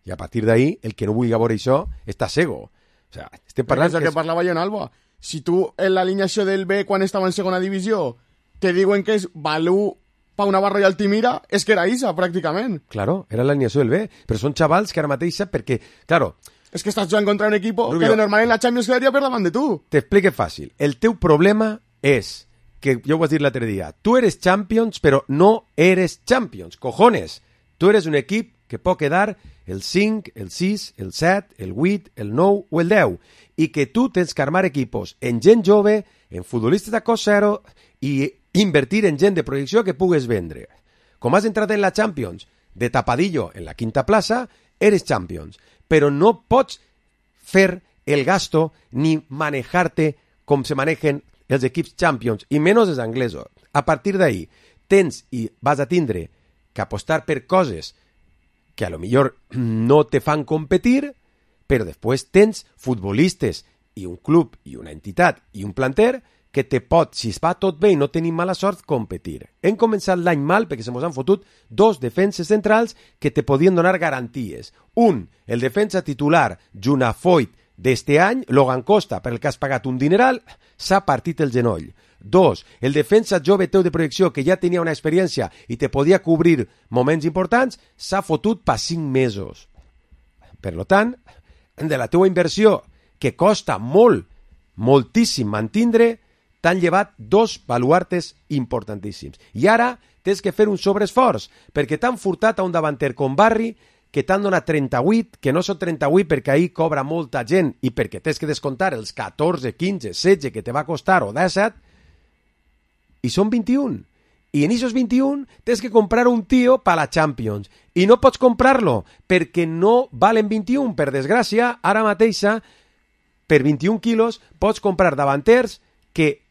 I a partir d'ahir, el que no vulgui veure això està cego. O sea, estem parlant... És el que, que és... parlava jo en Alba. Si tu, en l'alineació del B, quan estava en segona divisió, te diuen que és Balú, Pau Navarro i Altimira, és que era Isa, pràcticament. Claro, era l'alineació del B. Però són xavals que ara mateix, perquè, claro... És que estàs jugant contra un equip que de normal en la Champions quedaria per davant de tu. T'explique fàcil. El teu problema és que, jo ho vas dir l'altre dia, tu eres Champions, però no eres Champions. Cojones! Tu eres un equip que pot quedar el cinc, el sis, el set, el vuit, el nou o el deu. I que tu tens que armar equipos en gent jove, en futbolistes de cost zero i invertir en gent de projecció que pugues vendre. Com has entrat en la Champions de tapadillo en la quinta plaça, eres Champions. Però no pots fer el gasto ni manejarte com se manejen els equips Champions, i menys els anglesos. A partir d'ahí, tens i vas a tindre que apostar per coses que a lo millor no te fan competir, però després tens futbolistes i un club i una entitat i un planter que te pot, si es va tot bé i no tenim mala sort, competir. Hem començat l'any mal perquè se mos han fotut dos defenses centrals que te podien donar garanties. Un, el defensa titular, Junafoyt, d'este any, Logan Costa, per el que has pagat un dineral, s'ha partit el genoll. Dos, el defensa jove teu de projecció que ja tenia una experiència i te podia cobrir moments importants, s'ha fotut per cinc mesos. Per tant, de la teua inversió, que costa molt, moltíssim mantindre, t'han llevat dos baluartes importantíssims. I ara tens que fer un sobreesforç, perquè t'han furtat a un davanter com Barri, que t'han donat trenta-vuit, que no són trenta-vuit perquè ahir cobra molta gent i perquè tens que descomptar els catorze, quinze, setze que te va costar o disset, i són vint-i-un. I en aquests vint-i-un tens que comprar un tio per la Champions. I no pots comprar-lo perquè no valen vint-i-un. Per desgràcia, ara mateixa, per vint-i-un quilos, pots comprar davanters que,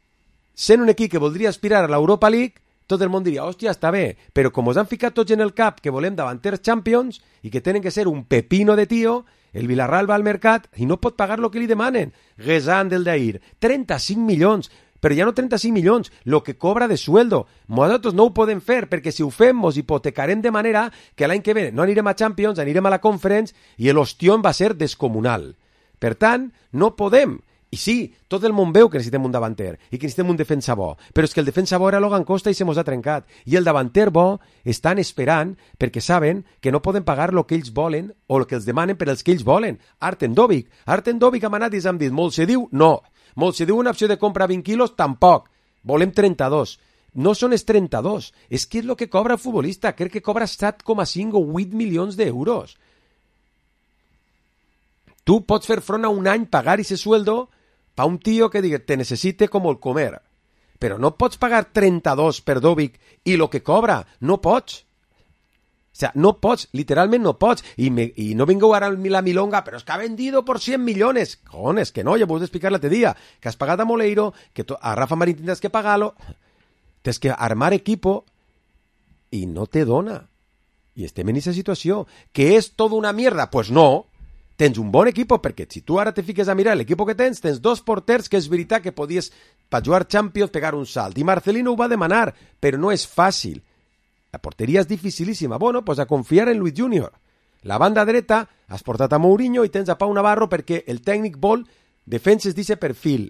sent un equip que voldria aspirar a l'Europa League, tot el món diria, hòstia, està bé, però com us han ficat tots en el cap que volem davanters Champions i que tenen que ser un pepino de tio, el Villarreal va al mercat i no pot pagar el que li demanen. Guesán del d'ahir, trenta-cinc milions, però ja no trenta-cinc milions, lo que cobra de sueldo. Nosaltres no ho podem fer, perquè si ho fem, mos hipotecarem de manera que l'any que ve no anirem a Champions, anirem a la Conference i l'ostión va ser descomunal. Per tant, no podem. I sí, tot el món veu que necessitem un davanter i que necessitem un defensa bo, però és que el defensa bo era Logan Costa i se mos ha trencat. I el davanter bo estan esperant perquè saben que no poden pagar el que ells volen o el que els demanen per els que ells volen. Arten Dovic. Arten Dovic ha manat i s'han dit, molt se diu, no. Molt se diu una opció de compra vint quilos, tampoc. Volem trenta-dos. No són els trenta-dos. És que és el que cobra el futbolista. Crec que cobra set coma cinc o vuit milions d'euros. Tu pots fer front a un any, pagar ese sueldo pa un tio que diga, te necessite com el comer. Però no pots pagar trenta-dos per Dovic i lo que cobra. No pots. O sea, no pots, literalment no pots. I, me, i no vingueu ara la milonga, però és que ha vendido por cien millones. Cojones, que no, ja vos he explicar l'altre dia. Que has pagat a Moleiro, que to, a Rafa Marín tindràs que pagar-lo. Tens que armar equipo i no te dona. I estem en aquesta situació. Que és tota una mierda? Pues no. Tens un bon equip, perquè si tu ara te fiques a mirar l'equip que tens, tens dos porters que és veritat que podies, per jugar Champions, pegar un salt. I Marcelino ho va demanar, però no és fàcil. La porteria és dificilíssima. Bueno, pues a confiar en Luis Junior. La banda dreta has portat a Mourinho i tens a Pau Navarro perquè el tècnic vol defenses d'aquest perfil.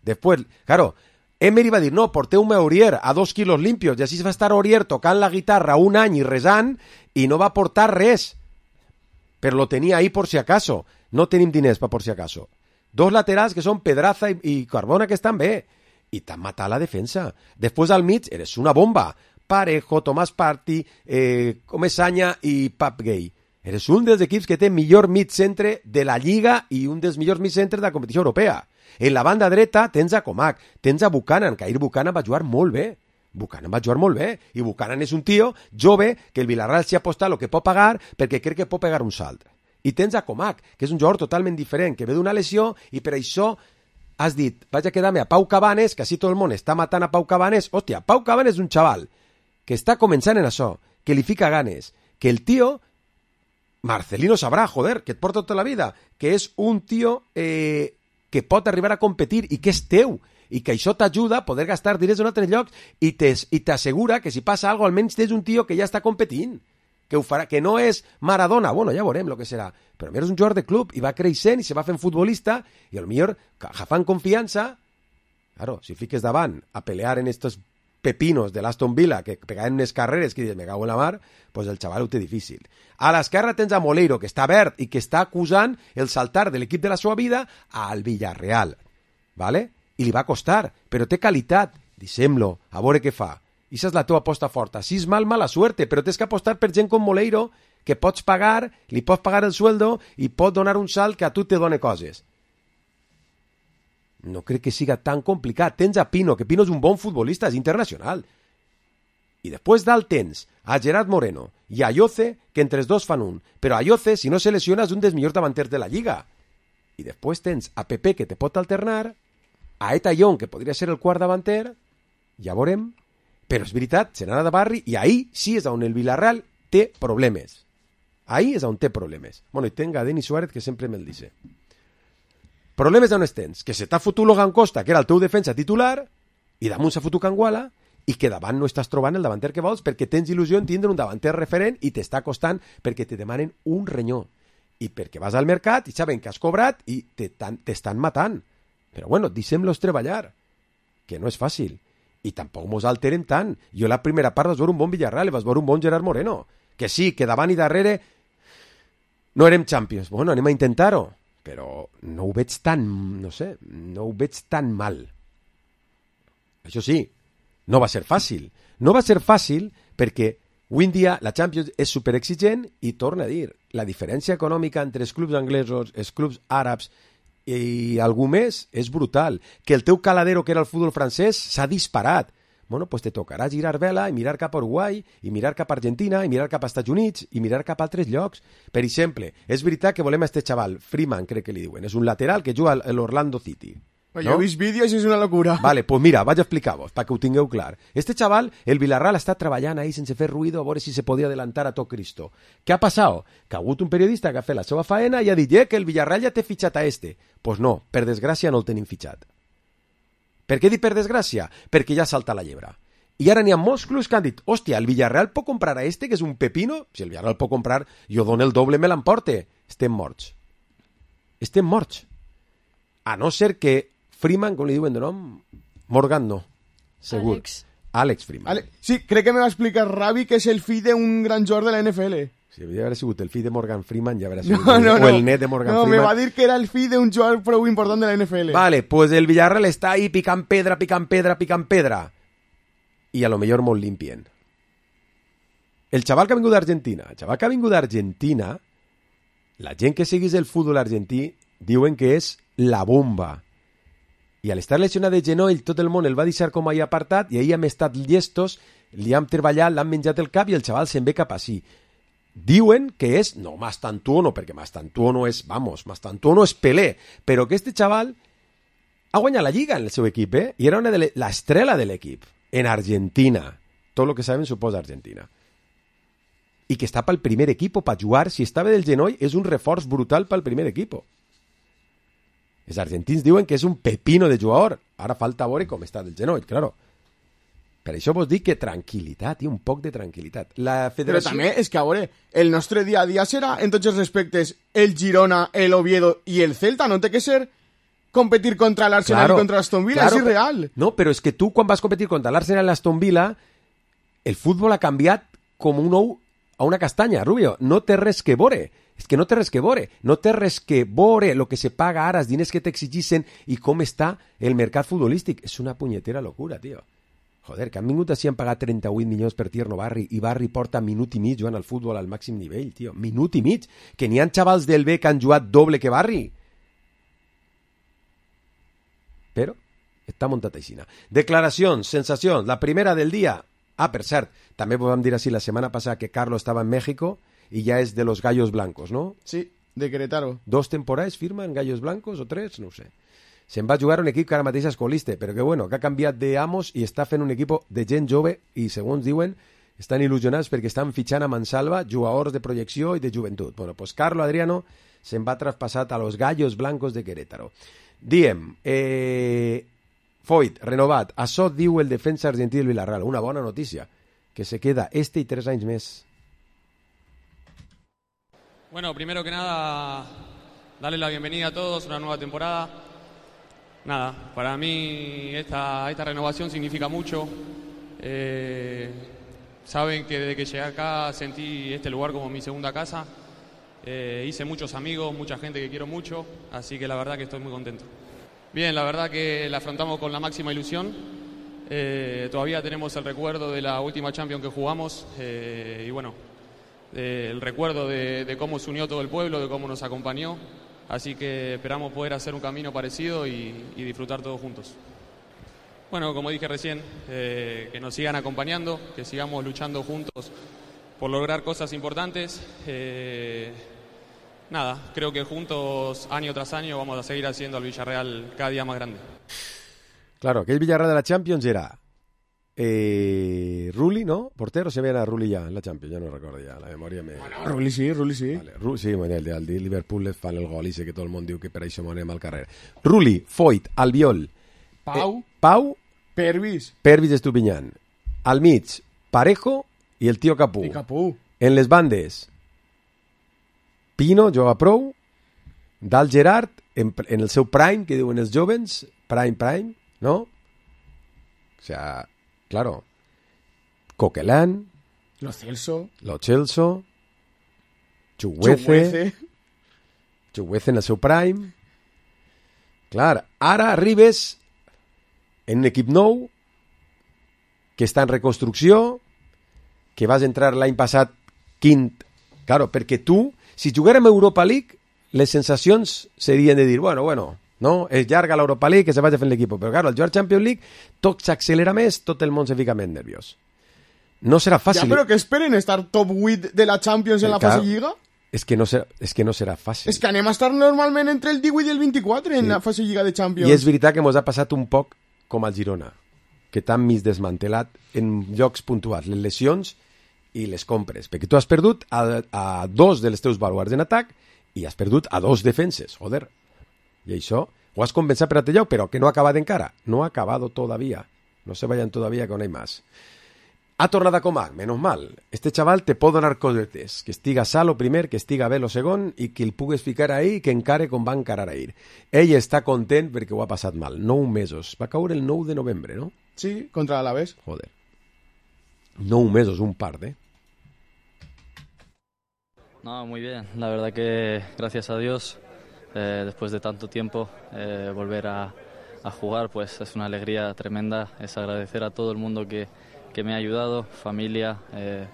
Després, claro, Emery va dir, no, porteu-me a Aurier a dos quilos limpios, i així va estar Aurier tocant la guitarra un any i resant, i no va portar res. Però lo tenia ahí por si acaso. No tenim diners per por si acaso. Dos laterals que són Pedraza i, i Carbona, que estan bé. I t'han matat la defensa. Després al mig eres una bomba. Parejo, Tomás Partey, eh, Comesaña i Pap Gay. Eres un dels equips que té millor mig centre de la Lliga i un dels millors mig centres de la competició europea. En la banda dreta tens a Comac, tens a Buchanan, que ahir Buchanan va jugar molt bé. Buchanan va jugar molt bé, i Buchanan és un tio jove que el Villarreal s'hi ha apostat el que pot pagar perquè crec que pot pegar un salt. I tens a Comac, que és un jugador totalment diferent, que ve d'una lesió i per això has dit, vaig a quedar-me a Pau Cabanes, que així tot el món està matant a Pau Cabanes. Hòstia, Pau Cabanes és un xaval que està començant en això, que li fica ganes, que el tio, Marcelino sabrà, joder, que et porta tota la vida, que és un tio eh, que pot arribar a competir i que és teu, i que això t'ajuda a poder gastar diners en altres llocs i t'assegura que si passa alguna cosa almenys tens un tio que ja està competint, que ho farà, que no és Maradona, bueno, ja veurem el que serà, però a és un jugador de club i va creixent i se va fent futbolista i potser agafant confiança, claro, si fiques davant a pelear en estos pepinos de l'Aston Villa que pegaven unes carreres que dius, me cago en la mar, pues el xaval ho té difícil. A l'esquerra tens a Moleiro, que està verd i que està acusant el saltar de l'equip de la seva vida al Villarreal, ¿vale? I li va costar, però té qualitat. Deixem-lo, a veure què fa. I això és la teva aposta forta. Si és mal, mala suerte, però tens que apostar per gent com Moleiro, que pots pagar, li pots pagar el sueldo i pot donar un salt que a tu te done coses. No crec que siga tan complicat. Tens a Pino, que Pino és un bon futbolista, és internacional. I després dalt tens a Gerard Moreno i a Ayoce, que entre els dos fan un. Però Ayoce, si no se lesiona, és un dels millors davanters de la Lliga. I després tens a Pepe, que te pot alternar, a Eta Young, que podria ser el quart davanter, ja veurem, però és veritat, se n'ha de barri, i ahí sí és on el Villarreal té problemes. Ahí és on té problemes. Bueno, i tenga a Denis Suárez, que sempre me'l dice. Problemes d'on tens? Que se t'ha fotut Logan Costa, que era el teu defensa titular, i damunt s'ha fotut Canguala, i que davant no estàs trobant el davanter que vols perquè tens il·lusió en tindre un davanter referent i t'està costant perquè te demanen un renyó. I perquè vas al mercat i saben que has cobrat i t'estan matant. Però bueno, deixem-los treballar, que no és fàcil. I tampoc mos alteren tant. Jo la primera part vas veure un bon Villarreal i vas veure un bon Gerard Moreno. Que sí, que davant i darrere no érem Champions. Bueno, anem a intentar-ho. Però no ho veig tan, no sé, no ho veig tan mal. Això sí, no va ser fàcil. No va ser fàcil perquè avui en dia la Champions és superexigent i torna a dir, la diferència econòmica entre els clubs anglesos, els clubs àrabs i algú més és brutal. Que el teu caladero, que era el futbol francès, s'ha disparat. Bueno, pues te tocarà girar vela i mirar cap a Uruguai, i mirar cap a Argentina, i mirar cap a Estats Units, i mirar cap a altres llocs. Per exemple, és veritat que volem a este xaval, Freeman, crec que li diuen, és un lateral que juga a l'Orlando City. No? Jo he vist vídeos i és una locura. Vale, pues mira, vaig a explicar-vos, perquè ho tingueu clar. Este xaval, el Villarreal està treballant ahí sense fer ruïdo a veure si se podia adelantar a tot Cristo. Què ha passat? Que ha hagut un periodista que ha fet la seva faena i ha dit eh, que el Villarreal ja té fitxat a este. Pues no, per desgràcia no el tenim fitxat. Per què dic per desgràcia? Perquè ja salta la llebre. I ara n'hi ha molts clubs que han dit hòstia, el Villarreal pot comprar a este, que és un pepino? Si el Villarreal pot comprar, jo dono el doble, me l'emporte. Estem morts. Estem morts. A no ser que Freeman, com li diuen de nom? Morgan no, segur. Alex. Alex Freeman. Ale... Sí, crec que me va explicar Ravi que és el fill d'un gran jugador de la N F L. Si havia d'haver sigut el fill de Morgan Freeman, ja haurà sigut no, no, el, no. o el net de Morgan no, Freeman. No, me va dir que era el fill d'un jugador prou important de la N F L. Vale, pues el Villarreal està ahí picant pedra, picant pedra, picant pedra. I a lo millor molt limpien. El xaval que ha vingut d'Argentina, el xaval que ha vingut d'Argentina, la gent que seguís el futbol argentí diuen que és la bomba. I al estar lesionat de genoll, tot el món el va deixar com ahí apartat i ahí hem estat llestos, li hem treballat, l'han menjat el cap i el xaval se'n ve cap així. Diuen que és, no Mastantuono, perquè Mastantuono és, vamos, Mastantuono és Pelé, però que este xaval ha guanyat la Lliga en el seu equip, eh? I era una de l'estrela de l'equip. en Argentina. Todo lo que saben suposa Argentina. I que està pel primer equip per jugar. Si estava del genoll, és un reforç brutal pel primer equip. Els argentins diuen que és un pepino de jugador. Ara falta veure com està del genoll, claro. Per això vos dic que tranquil·litat, i un poc de tranquil·litat. La federació... Però també és que, a veure, el nostre dia a dia serà, en tots els respectes, el Girona, el Oviedo i el Celta. No té que ser competir contra l'Arsenal claro, i contra l'Aston Villa, claro, és irreal. No, però és que tu, quan vas competir contra l'Arsenal i l'Aston Villa, el futbol ha canviat com un ou a una castanya, Rubio. No té res que veure. És que no té res que veure. No té res que veure el que se paga ara, els diners que t'exigissen i com està el mercat futbolístic. És una punyetera locura, tio. Joder, que han vingut així, han pagat trenta-vuit milions per Tierno Barri i Barri porta minut i mig jugant al futbol al màxim nivell, tio. Minut i mig. Que n'hi ha xavals del B que han jugat doble que Barri. Però està muntat així. Declaracions, sensacions. La primera del dia. Ah, per cert, també vam dir així la setmana passada que Carlos estava en México i ja és de los Gallos Blancos, ¿no? Sí, de Querétaro. Dos temporades firma en Gallos Blancos o tres, no ho sé. Se'n va jugar un equip que ara mateix és colista, però que bueno, que ha canviat d'amos i està fent un equip de gent jove i, segons diuen, estan il·lusionats perquè estan fitxant a mansalva jugadors de projecció i de joventut. Bueno, pues Carlo Adriano se'n va traspassat a los Gallos Blancos de Querétaro. Diem, eh, Foyt, renovat. Això diu el defensa argentí del Villarreal. Una bona notícia, que se queda este i tres anys més. Bueno, primero que nada, darle la bienvenida a todos a una nueva temporada. Nada, para mí esta, esta renovación significa mucho. Eh, saben que desde que llegué acá sentí este lugar como mi segunda casa. Eh, hice muchos amigos, mucha gente que quiero mucho, así que la verdad que estoy muy contento. Bien, la verdad que la afrontamos con la máxima ilusión. Eh, todavía tenemos el recuerdo de la última Champions que jugamos eh, y bueno, eh, el recuerdo de, de cómo se unió todo el pueblo, de cómo nos acompañó. Así que esperamos poder hacer un camino parecido y, y disfrutar todos juntos. Bueno, como dije recién, eh, que nos sigan acompañando, que sigamos luchando juntos por lograr cosas importantes. Eh, nada, creo que juntos, año tras año, vamos a seguir haciendo al Villarreal cada día más grande. Claro, aquell Villarreal de la Champions era eh, Rulli, ¿no? Portero, se veia a Rulli ja en la Champions, ja no recordo ja, la memòria me... Bueno, Rulli sí, Rulli sí. Vale, Rulli, sí, bueno, el, el de Liverpool fan el gol i sé que tot el món diu que per això m'anem al carrer. Rulli, Foyt, Albiol, Pau, eh, Pau, Pervis, Pervis Estupiñán, al mig, Parejo i el tio Capú. I Capú. En les bandes, Pino, juga prou, Dal Gerard, en, en el seu prime, que diuen els jovens, prime, prime, ¿no? O sea, claro, Coquelán, Lo Celso, Lo Celso, Chuguece, Chuguece en el seu prime. Clar, ara arribes en un equip nou que està en reconstrucció, que vas entrar l'any passat quint. Claro, perquè tu, si juguérem a Europa League, les sensacions serien de dir, bueno, bueno, no? És llarga l'Europa League, que se vagi fent l'equip. Però, claro, al jugar Champions League, tot s'accelera més, tot el món se fica més nerviós. No serà fàcil. Ja, però que esperen estar top vuit de la Champions en la claro, fase Lliga. És que, no serà, és que no serà fàcil. És que anem a estar normalment entre el divuit i el vint-i-quatre sí. en la fase Lliga de Champions. I és veritat que ens ha passat un poc com al Girona, que t'han mig desmantelat en llocs puntuals, les lesions i les compres, perquè tu has perdut a, a dos dels teus baluards en atac i has perdut a dos defenses, joder. I això ho has compensat per altre lloc, però que no ha acabat encara. No ha acabado todavía. No se vayan todavía, que no hay más. Ha tornat a Comac, menos mal. Este chaval te pot donar cosetes. Que estiga sal o primer, que estiga bé lo segon i que el pugues ficar ahí i que encare com va encarar ahir. Ell està content perquè ho ha passat mal. Nou mesos. Va caure el nou de novembre, ¿no? Sí, contra l'Alavés. Joder. Nou mesos, un par, ¿eh? No, muy bien. La verdad que gracias a Dios, eh, después de tanto tiempo, eh, volver a, a jugar, pues es una alegría tremenda. Es agradecer a todo el mundo que que me ha ayudado, familia, eh,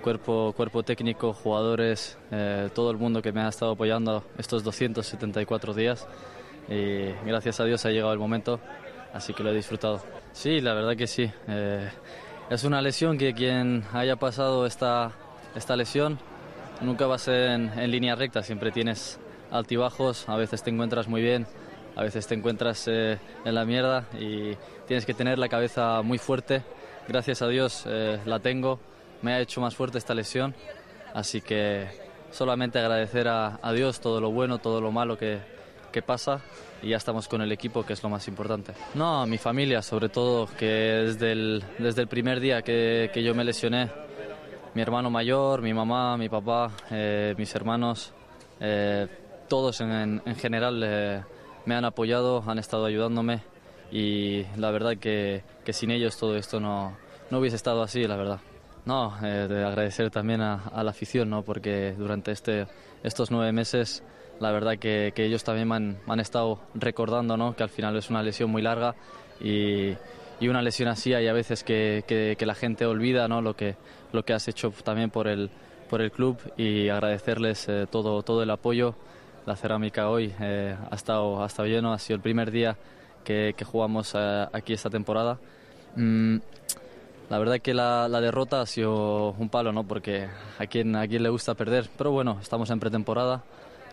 cuerpo, cuerpo técnico, jugadores, eh, todo el mundo que me ha estado apoyando estos doscientos setenta y cuatro días y gracias a Dios ha llegado el momento, así que lo he disfrutado. Sí, la verdad que sí. Eh, es una lesión que quien haya pasado esta, esta lesión nunca va a ser en, en línea recta, siempre tienes altibajos, a veces te encuentras muy bien, a veces te encuentras eh, en la mierda y tienes que tener la cabeza muy fuerte. Gracias a Dios eh, la tengo, me ha hecho más fuerte esta lesión, así que solamente agradecer a, a Dios todo lo bueno, todo lo malo que, que pasa, y ya estamos con el equipo, que es lo más importante. No, a mi familia sobre todo, que desde el, desde el primer día que, que yo me lesioné, mi hermano mayor, mi mamá, mi papá, eh, mis hermanos, eh, todos en, en general eh, me han apoyado, han estado ayudándome, y la verdad que, que sin ellos todo esto no, no hubiese estado así, la verdad. No, eh, de agradecer también a, a la afición, ¿no? Porque durante este, estos nueve meses la verdad que, que ellos también me han, me han estado recordando, ¿no? Que al final es una lesión muy larga, y, y una lesión así hay a veces que, que, que la gente olvida, ¿no? Lo que, lo que has hecho también por el, por el club, y agradecerles eh, todo, todo el apoyo. La cerámica hoy eh, ha, estado, ha estado lleno, ha sido el primer día que, que jugamos eh, aquí esta temporada. Mm, La verdad que la, la derrota ha sido un palo, ¿no? Porque a quien, a quien le gusta perder. Pero bueno, estamos en pretemporada.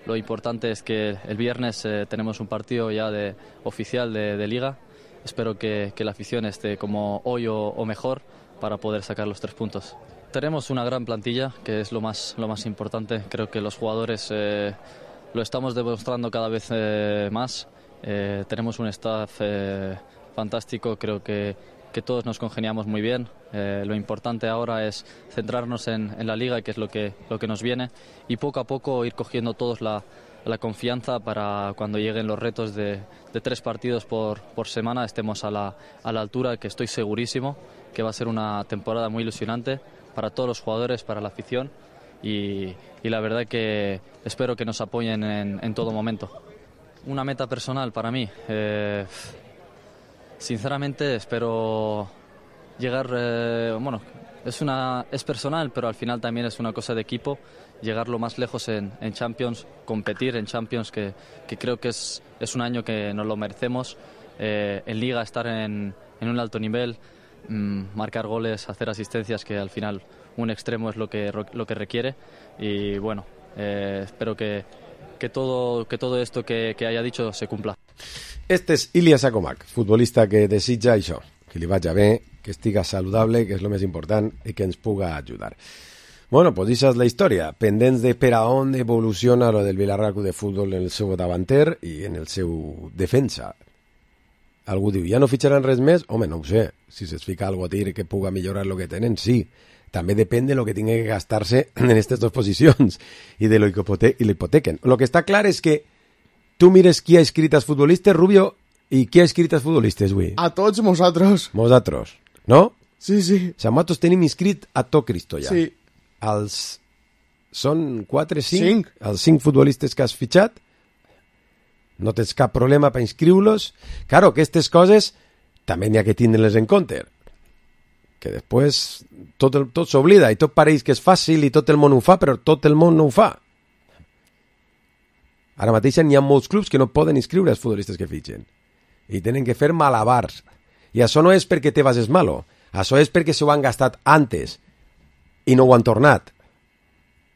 Lo importante es que el viernes eh, tenemos un partido ya de, oficial de, de Liga. Espero que, que la afición esté como hoy o, o mejor para poder sacar los tres puntos. Tenemos una gran plantilla, que es lo más, lo más importante. Creo que los jugadores eh, lo estamos demostrando cada vez eh, más. Eh, tenemos un staff eh, fantástico, creo que que todos nos congeniamos muy bien. Eh, lo importante ahora es centrarnos en, en la Liga, que es lo que, lo que nos viene, y poco a poco ir cogiendo todos la, la confianza para cuando lleguen los retos de, de tres partidos por, por semana estemos a la, a la altura, que estoy segurísimo que va a ser una temporada muy ilusionante para todos los jugadores, para la afición, y, y la verdad que espero que nos apoyen en, en todo momento. Una meta personal para mí... Eh, Sinceramente espero llegar, eh, bueno, es, una, es personal, pero al final también es una cosa de equipo, llegar lo más lejos en, en Champions, competir en Champions, que, que creo que es, es un año que nos lo merecemos, eh, en Liga estar en, en un alto nivel, mmm, marcar goles, hacer asistencias, que al final un extremo es lo que, lo que requiere, y bueno, eh, espero que, que, todo, que todo esto que, que haya dicho se cumpla. Este és Ilya Sakomak, futbolista que desitja això, que li vagi bé, que estiga saludable, que és el més important, i que ens puga ajudar. Bueno, pues això és la història, pendents de per a on evoluciona lo del Villarreal Club de Futbol en el seu davanter i en el seu defensa. Algú diu, ja no fitxaran res més? Home, no ho sé, si se'ls fica algo a dir que puga millorar lo que tenen, sí. També depèn de lo que tingui que gastar-se en aquestes dues posicions i de lo que hipotequen. Lo que està clar és que tu mires qui ha escrit els futbolistes, Rubio, i qui ha escrit els futbolistes, avui? A tots nosaltres. Nosaltres, no? Sí, sí. Nosaltres tenim inscrit a tot Cristo, ja. Sí. Els... Són quatre, cinc? Cinc. Els cinc futbolistes que has fitxat. No tens cap problema per inscriure-los. Claro, aquestes coses també n'hi ha que tindre-les en compte. Que després tot, el, tot s'oblida i tot pareix que és fàcil i tot el món ho fa, però tot el món no ho fa. Ara mateix n'hi ha molts clubs que no poden inscriure els futbolistes que fitxen. I tenen que fer malabars. I això no és perquè Tebas és malo. Això és perquè s'ho han gastat antes i no ho han tornat.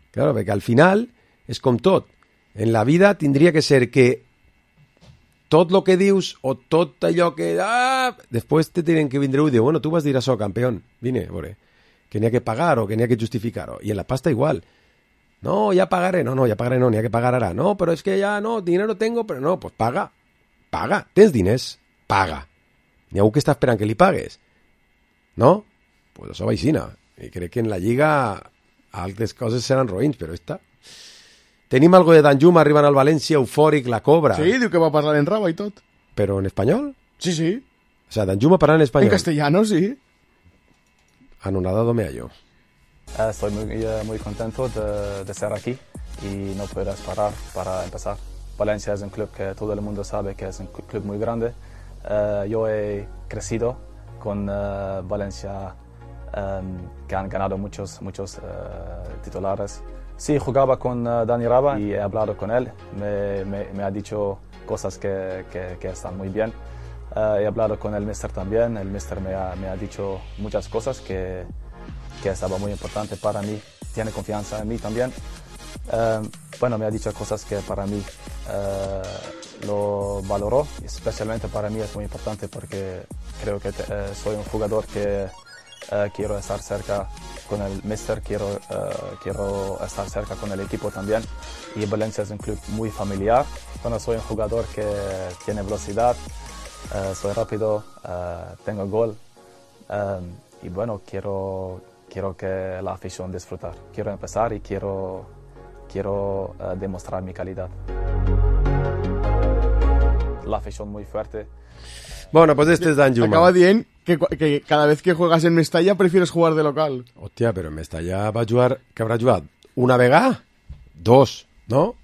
Claro, perquè al final és com tot. En la vida tindria que ser que tot el que dius o tot allò que... Ah, després te tenen que vindre i dir, bueno, tu vas dir això, campeón. Vine, a veure, que n'hi ha que pagar o que n'hi ha que justificar-ho. I en la pasta igual. No, ya pagaré. No, no, ya pagaré no, ni hay que pagar ahora. No, pero es que ya no, dinero tengo, pero no, pues paga. Paga. Tens diners? Paga. N'hi ha algú que està esperant que li pagues. No? Pues això va aixina. I crec que en la Lliga altres coses seran roïns, però esta... Tenim algo de Danjuma arribant al València, eufòric, la cobra. Sí, diu que va parlar en raba i tot. Però en espanyol? Sí, sí. O sea, Danjuma parla en espanyol. En castellano, sí. Anonadado me hallo. Uh, estoy muy, uh, muy contento de, de estar aquí y no puedo parar para empezar. Valencia es un club que todo el mundo sabe que es un club muy grande. Uh, yo he crecido con uh, Valencia, um, que han ganado muchos, muchos uh, titulares. Sí, jugaba con uh, Dani Raba y he hablado con él. Me, me, me ha dicho cosas que, que, que están muy bien. Uh, he hablado con el mister también. El mister me ha, me ha dicho muchas cosas que... que estaba muy importante para mí, tiene confianza en mí también. Uh, bueno, me ha dicho cosas que para mí uh, lo valoró, especialmente para mí es muy importante porque creo que te, eh, soy un jugador que eh, quiero estar cerca con el míster, quiero, eh, quiero estar cerca con el equipo también, y Valencia es un club muy familiar. Bueno, soy un jugador que tiene velocidad, eh, soy rápido, eh, tengo gol, eh, y bueno, quiero, quiero que la afición disfrutar, quiero empezar y quiero, quiero eh, demostrar mi calidad. La afición muy fuerte. Bueno, pues este es Dan Juma. Acaba bien que, que cada vez que juegas en Mestalla prefieres jugar de local. Hòstia, però en Mestalla va jugar... Que haurà jugat? Una vegada? Dos, no?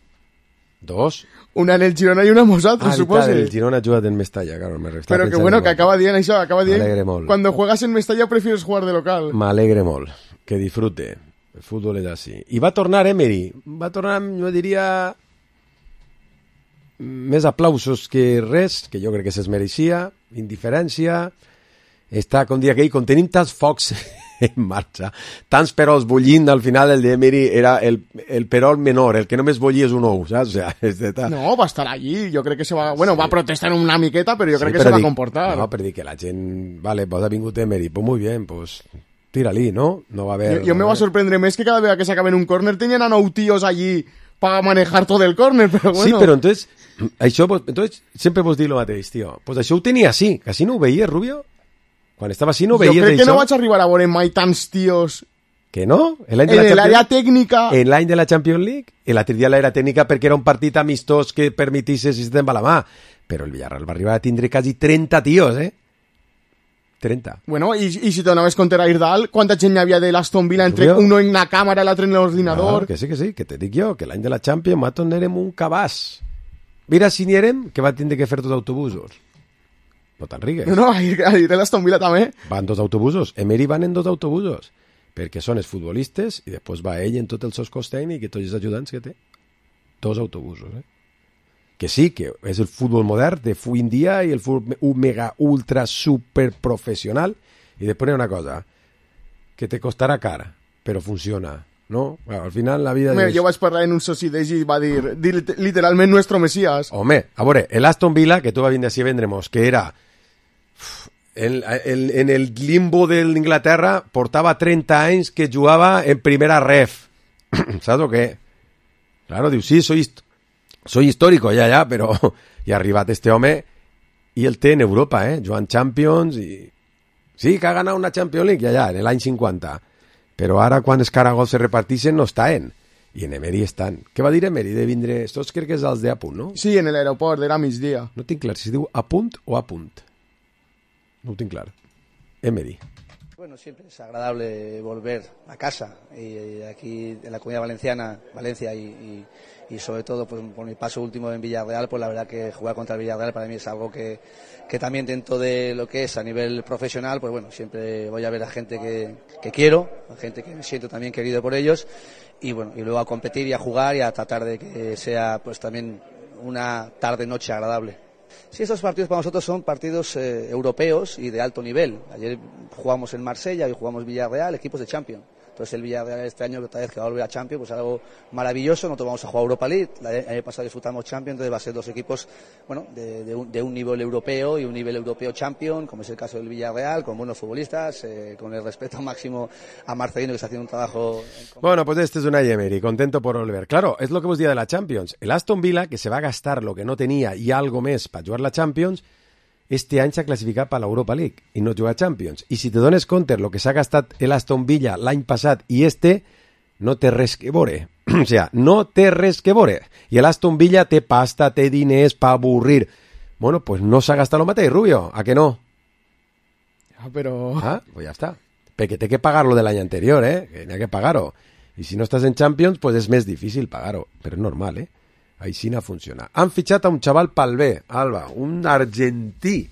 Dos? Una en el Girona y una en nosaltres, ah, suposo. Ah, el Girona ha jugat en Mestalla, claro. Me Però que bueno, que acaba bien, això, acaba bien. M'alegre molt. Cuando juegas en Mestalla prefieres jugar de local. M'alegre molt. Que disfrute. El futbol és així. I va tornar Emery. Va tornar, jo diria... més aplausos que res, que jo crec que se'ls mereixia, indiferència, està, com dia aquell, com tenim tants focs en marxa, tants perols bullint, al final el d'Emery era el, el perol menor, el que només bullia és un ou, saps? O sea, este ta... No, va estar allí, jo crec que se va... Bueno, sí. Va protestar una miqueta, però jo sí, crec que se dic, va comportar. No, per dir que la gent, vale, pues ha vingut Emery, pues muy bien, pues tira-li, ¿no? No va haver... Jo, jo me va sorprendre més que cada vegada que s'acaben un córner tenien a nou tios allí para manejar todo el córner, però bueno... Sí, però entonces... Això, entonces, sempre vos dir lo mateix, tio. Pues això ho tenia així, que així no ho veies, Rubio? Quan estava així no ho veies Jo crec això? que no vaig arribar a veure mai tants tios... Que no? En l'àrea tècnica... En l'any de la Champions League? En l'altre dia l'àrea tècnica perquè era un partit amistós que permetisse si te'n va la mà. Però el Villarreal va arribar a tindre quasi trenta tios, eh? trenta. Bueno, i, i si t'anaves compte a Irdal, quanta gent hi havia de l'Aston Villa entre Rubio? uno en la càmera i l'altre en l'ordinador? No, que sí, que sí, que te dic jo, que l'any de la Champions nosaltres érem un cabàs. Mira si n'hi érem, que va tindre que fer dos autobusos. No te'n rigues. No, no, ahir, ahir de l'Aston Villa també. Van dos autobusos. Emery van en dos autobusos. Perquè són els futbolistes i després va ell en tots els seus cos tècnics i tots els ajudants que té. Dos autobusos, eh? Que sí, que és el futbol modern de avui en dia i el futbol mega ultra super professional. I després hi ha una cosa, que te costarà cara, però funciona. No? Bueno, al final la vida... Home, és... Jo vaig parlar en un soci d'ells i va dir, dir literalment nuestro Mesías. Home, a veure, el Aston Villa, que tu va vindre així a vendre-mos, que era en, en, en el limbo de l'Inglaterra, portava trenta anys que jugava en primera ref. Saps o què? Claro, diu, sí, soy, soy histórico, ja, ja, però hi ha arribat este home i el té en Europa, eh? Jugant Champions i... Sí, que ha ganat una Champions League, ja, ja, en l'any cinquanta. Però ara, quan els caragols se repartixen, no estan. I en Emery estan. Què va dir Emery de vindre? Estos crec que és els de Apunt, no? Sí, en l'aeroport, era migdia. No tinc clar si diu Apunt o Apunt. No ho tinc clar. Emery. Bueno, siempre es agradable volver a casa. Y aquí en la Comunidad Valenciana, Valencia y, y, y sobre todo pues, por mi paso último en Villarreal, pues la verdad que jugar contra el Villarreal para mí es algo que, que también dentro de lo que es a nivel profesional, pues bueno, siempre voy a ver a gente que, que quiero, a gente que me siento también querido por ellos y bueno, y luego a competir y a jugar y a tratar de que sea pues también una tarde-noche agradable. Sí, estos partidos para nosotros son partidos eh, europeos y de alto nivel. Ayer jugamos en Marsella, hoy jugamos Villarreal, equipos de Champions. Entonces el Villarreal este año, otra vez que va a volver a Champions, pues algo maravilloso. Nosotros vamos a jugar Europa League, el año pasado disfrutamos Champions, entonces va a ser dos equipos bueno, de, de, un, de un nivel europeo y un nivel europeo Champions, como es el caso del Villarreal, con buenos futbolistas, eh, con el respeto máximo a Marcelino, que está haciendo un trabajo... En... Bueno, pues este es Unai Emery, contento por volver. Claro, es lo que vos decía de la Champions. El Aston Villa, que se va a gastar lo que no tenía y algo més para jugar la Champions, este any s'ha classificat per l'Europa League i no juga a Champions. I si te dones compte el que s'ha gastat l'Aston Villa l'any passat i este, no té res que veure. O sea, no té res que veure. I l'Aston Villa té pasta, té diners per avorrir. Bueno, pues no s'ha gastat el mateix, Rubio, ¿a que no? Ah, però... Ah, pues ja està. Perquè té que pagar lo de l'any anterior, eh? Que n'hi ha que pagar-ho. I si no estàs en Champions, pues és més difícil pagar-ho. Però és normal, eh? Així no funciona. Han fitxat a un xaval pel bé, Alba, un argentí.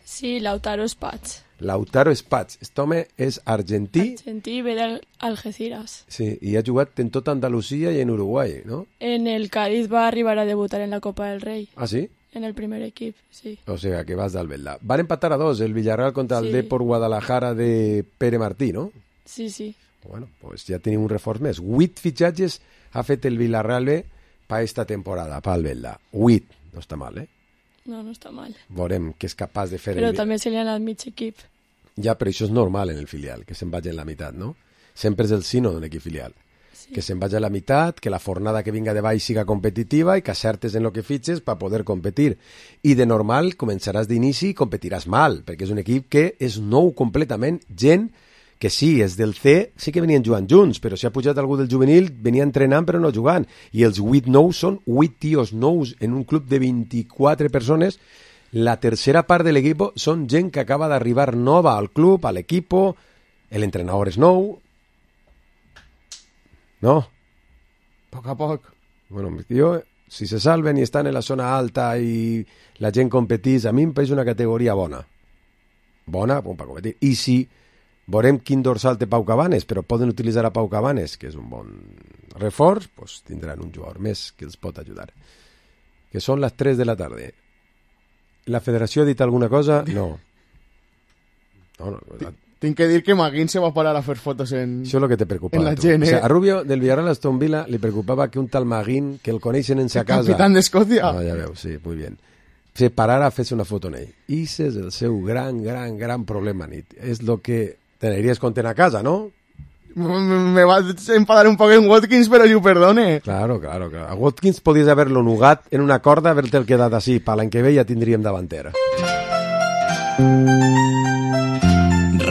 Sí, Lautaro Spats. Lautaro Spats. Este home és argentí. Argentí, ve d'Algeciras. Sí, i ha jugat en tota Andalusia i en Uruguai, no? En el Cádiz va arribar a debutar en la Copa del Rey. Ah, sí? En el primer equip, sí. O sea, que vas d'Albelda. Van empatar a dos, el Villarreal contra el Sí. Depor Guadalajara de Pere Martí, no? Sí, sí. Bueno, pues ja tenim un reforç més. Huit fitxatges ha fet el Villarreal B per esta temporada, per Albelda. Huit. No està mal, eh? No, no està mal. Veurem què és capaç de fer... Però el... també se li ha anat mig equip. Ja, però això és normal en el filial, que se'n vagi en la meitat, no? Sempre és el sino d'un equip filial. Sí. Que se'n vagi a la meitat, que la fornada que vinga de baix siga competitiva i que acertes en el que fitxes per poder competir. I de normal començaràs d'inici i competiràs mal, perquè és un equip que és nou completament, gent que sí, és del C, sí que venien jugant junts, però si ha pujat algú del juvenil, venia entrenant però no jugant. I els vuit nous són vuit tios nous en un club de vint-i-quatre persones. La tercera part de l'equip són gent que acaba d'arribar nova al club, a l'equip, l'entrenador és nou. No? A poc a poc. Bueno, jo, si se salven i estan en la zona alta i la gent competís, a mi em pareix una categoria bona. Bona, bon, per competir. I si veurem quin dorsal té Pau Cabanes, però poden utilitzar a Pau Cabanes, que és un bon reforç, doncs tindran un jugador més que els pot ajudar. Que són les tres de la tarda. La federació ha dit alguna cosa? No. No, no. Tinc que dir que Maguín se va parar a fer fotos en... Això és el que te preocupava. En la gent, eh? O sea, a Rubio del Villarreal a Aston Villa li preocupava que un tal Maguín, que el coneixen en sa casa... Capitán d'Escòcia. No, ja veus, sí, muy bien. Se parara a fer-se una foto en ell. I és el seu gran, gran, gran problema, nit. És el que teniries content a casa, ¿no? Me va a enfadar un poco en Watkins, pero yo perdone. Claro, claro, claro. A Watkins podías haberlo nugat en una corda, haberte el quedat así. Para l'any que ve ja tindríem davantera.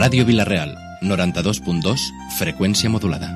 Ràdio Vilareal, noranta-dos punt dos, freqüència modulada.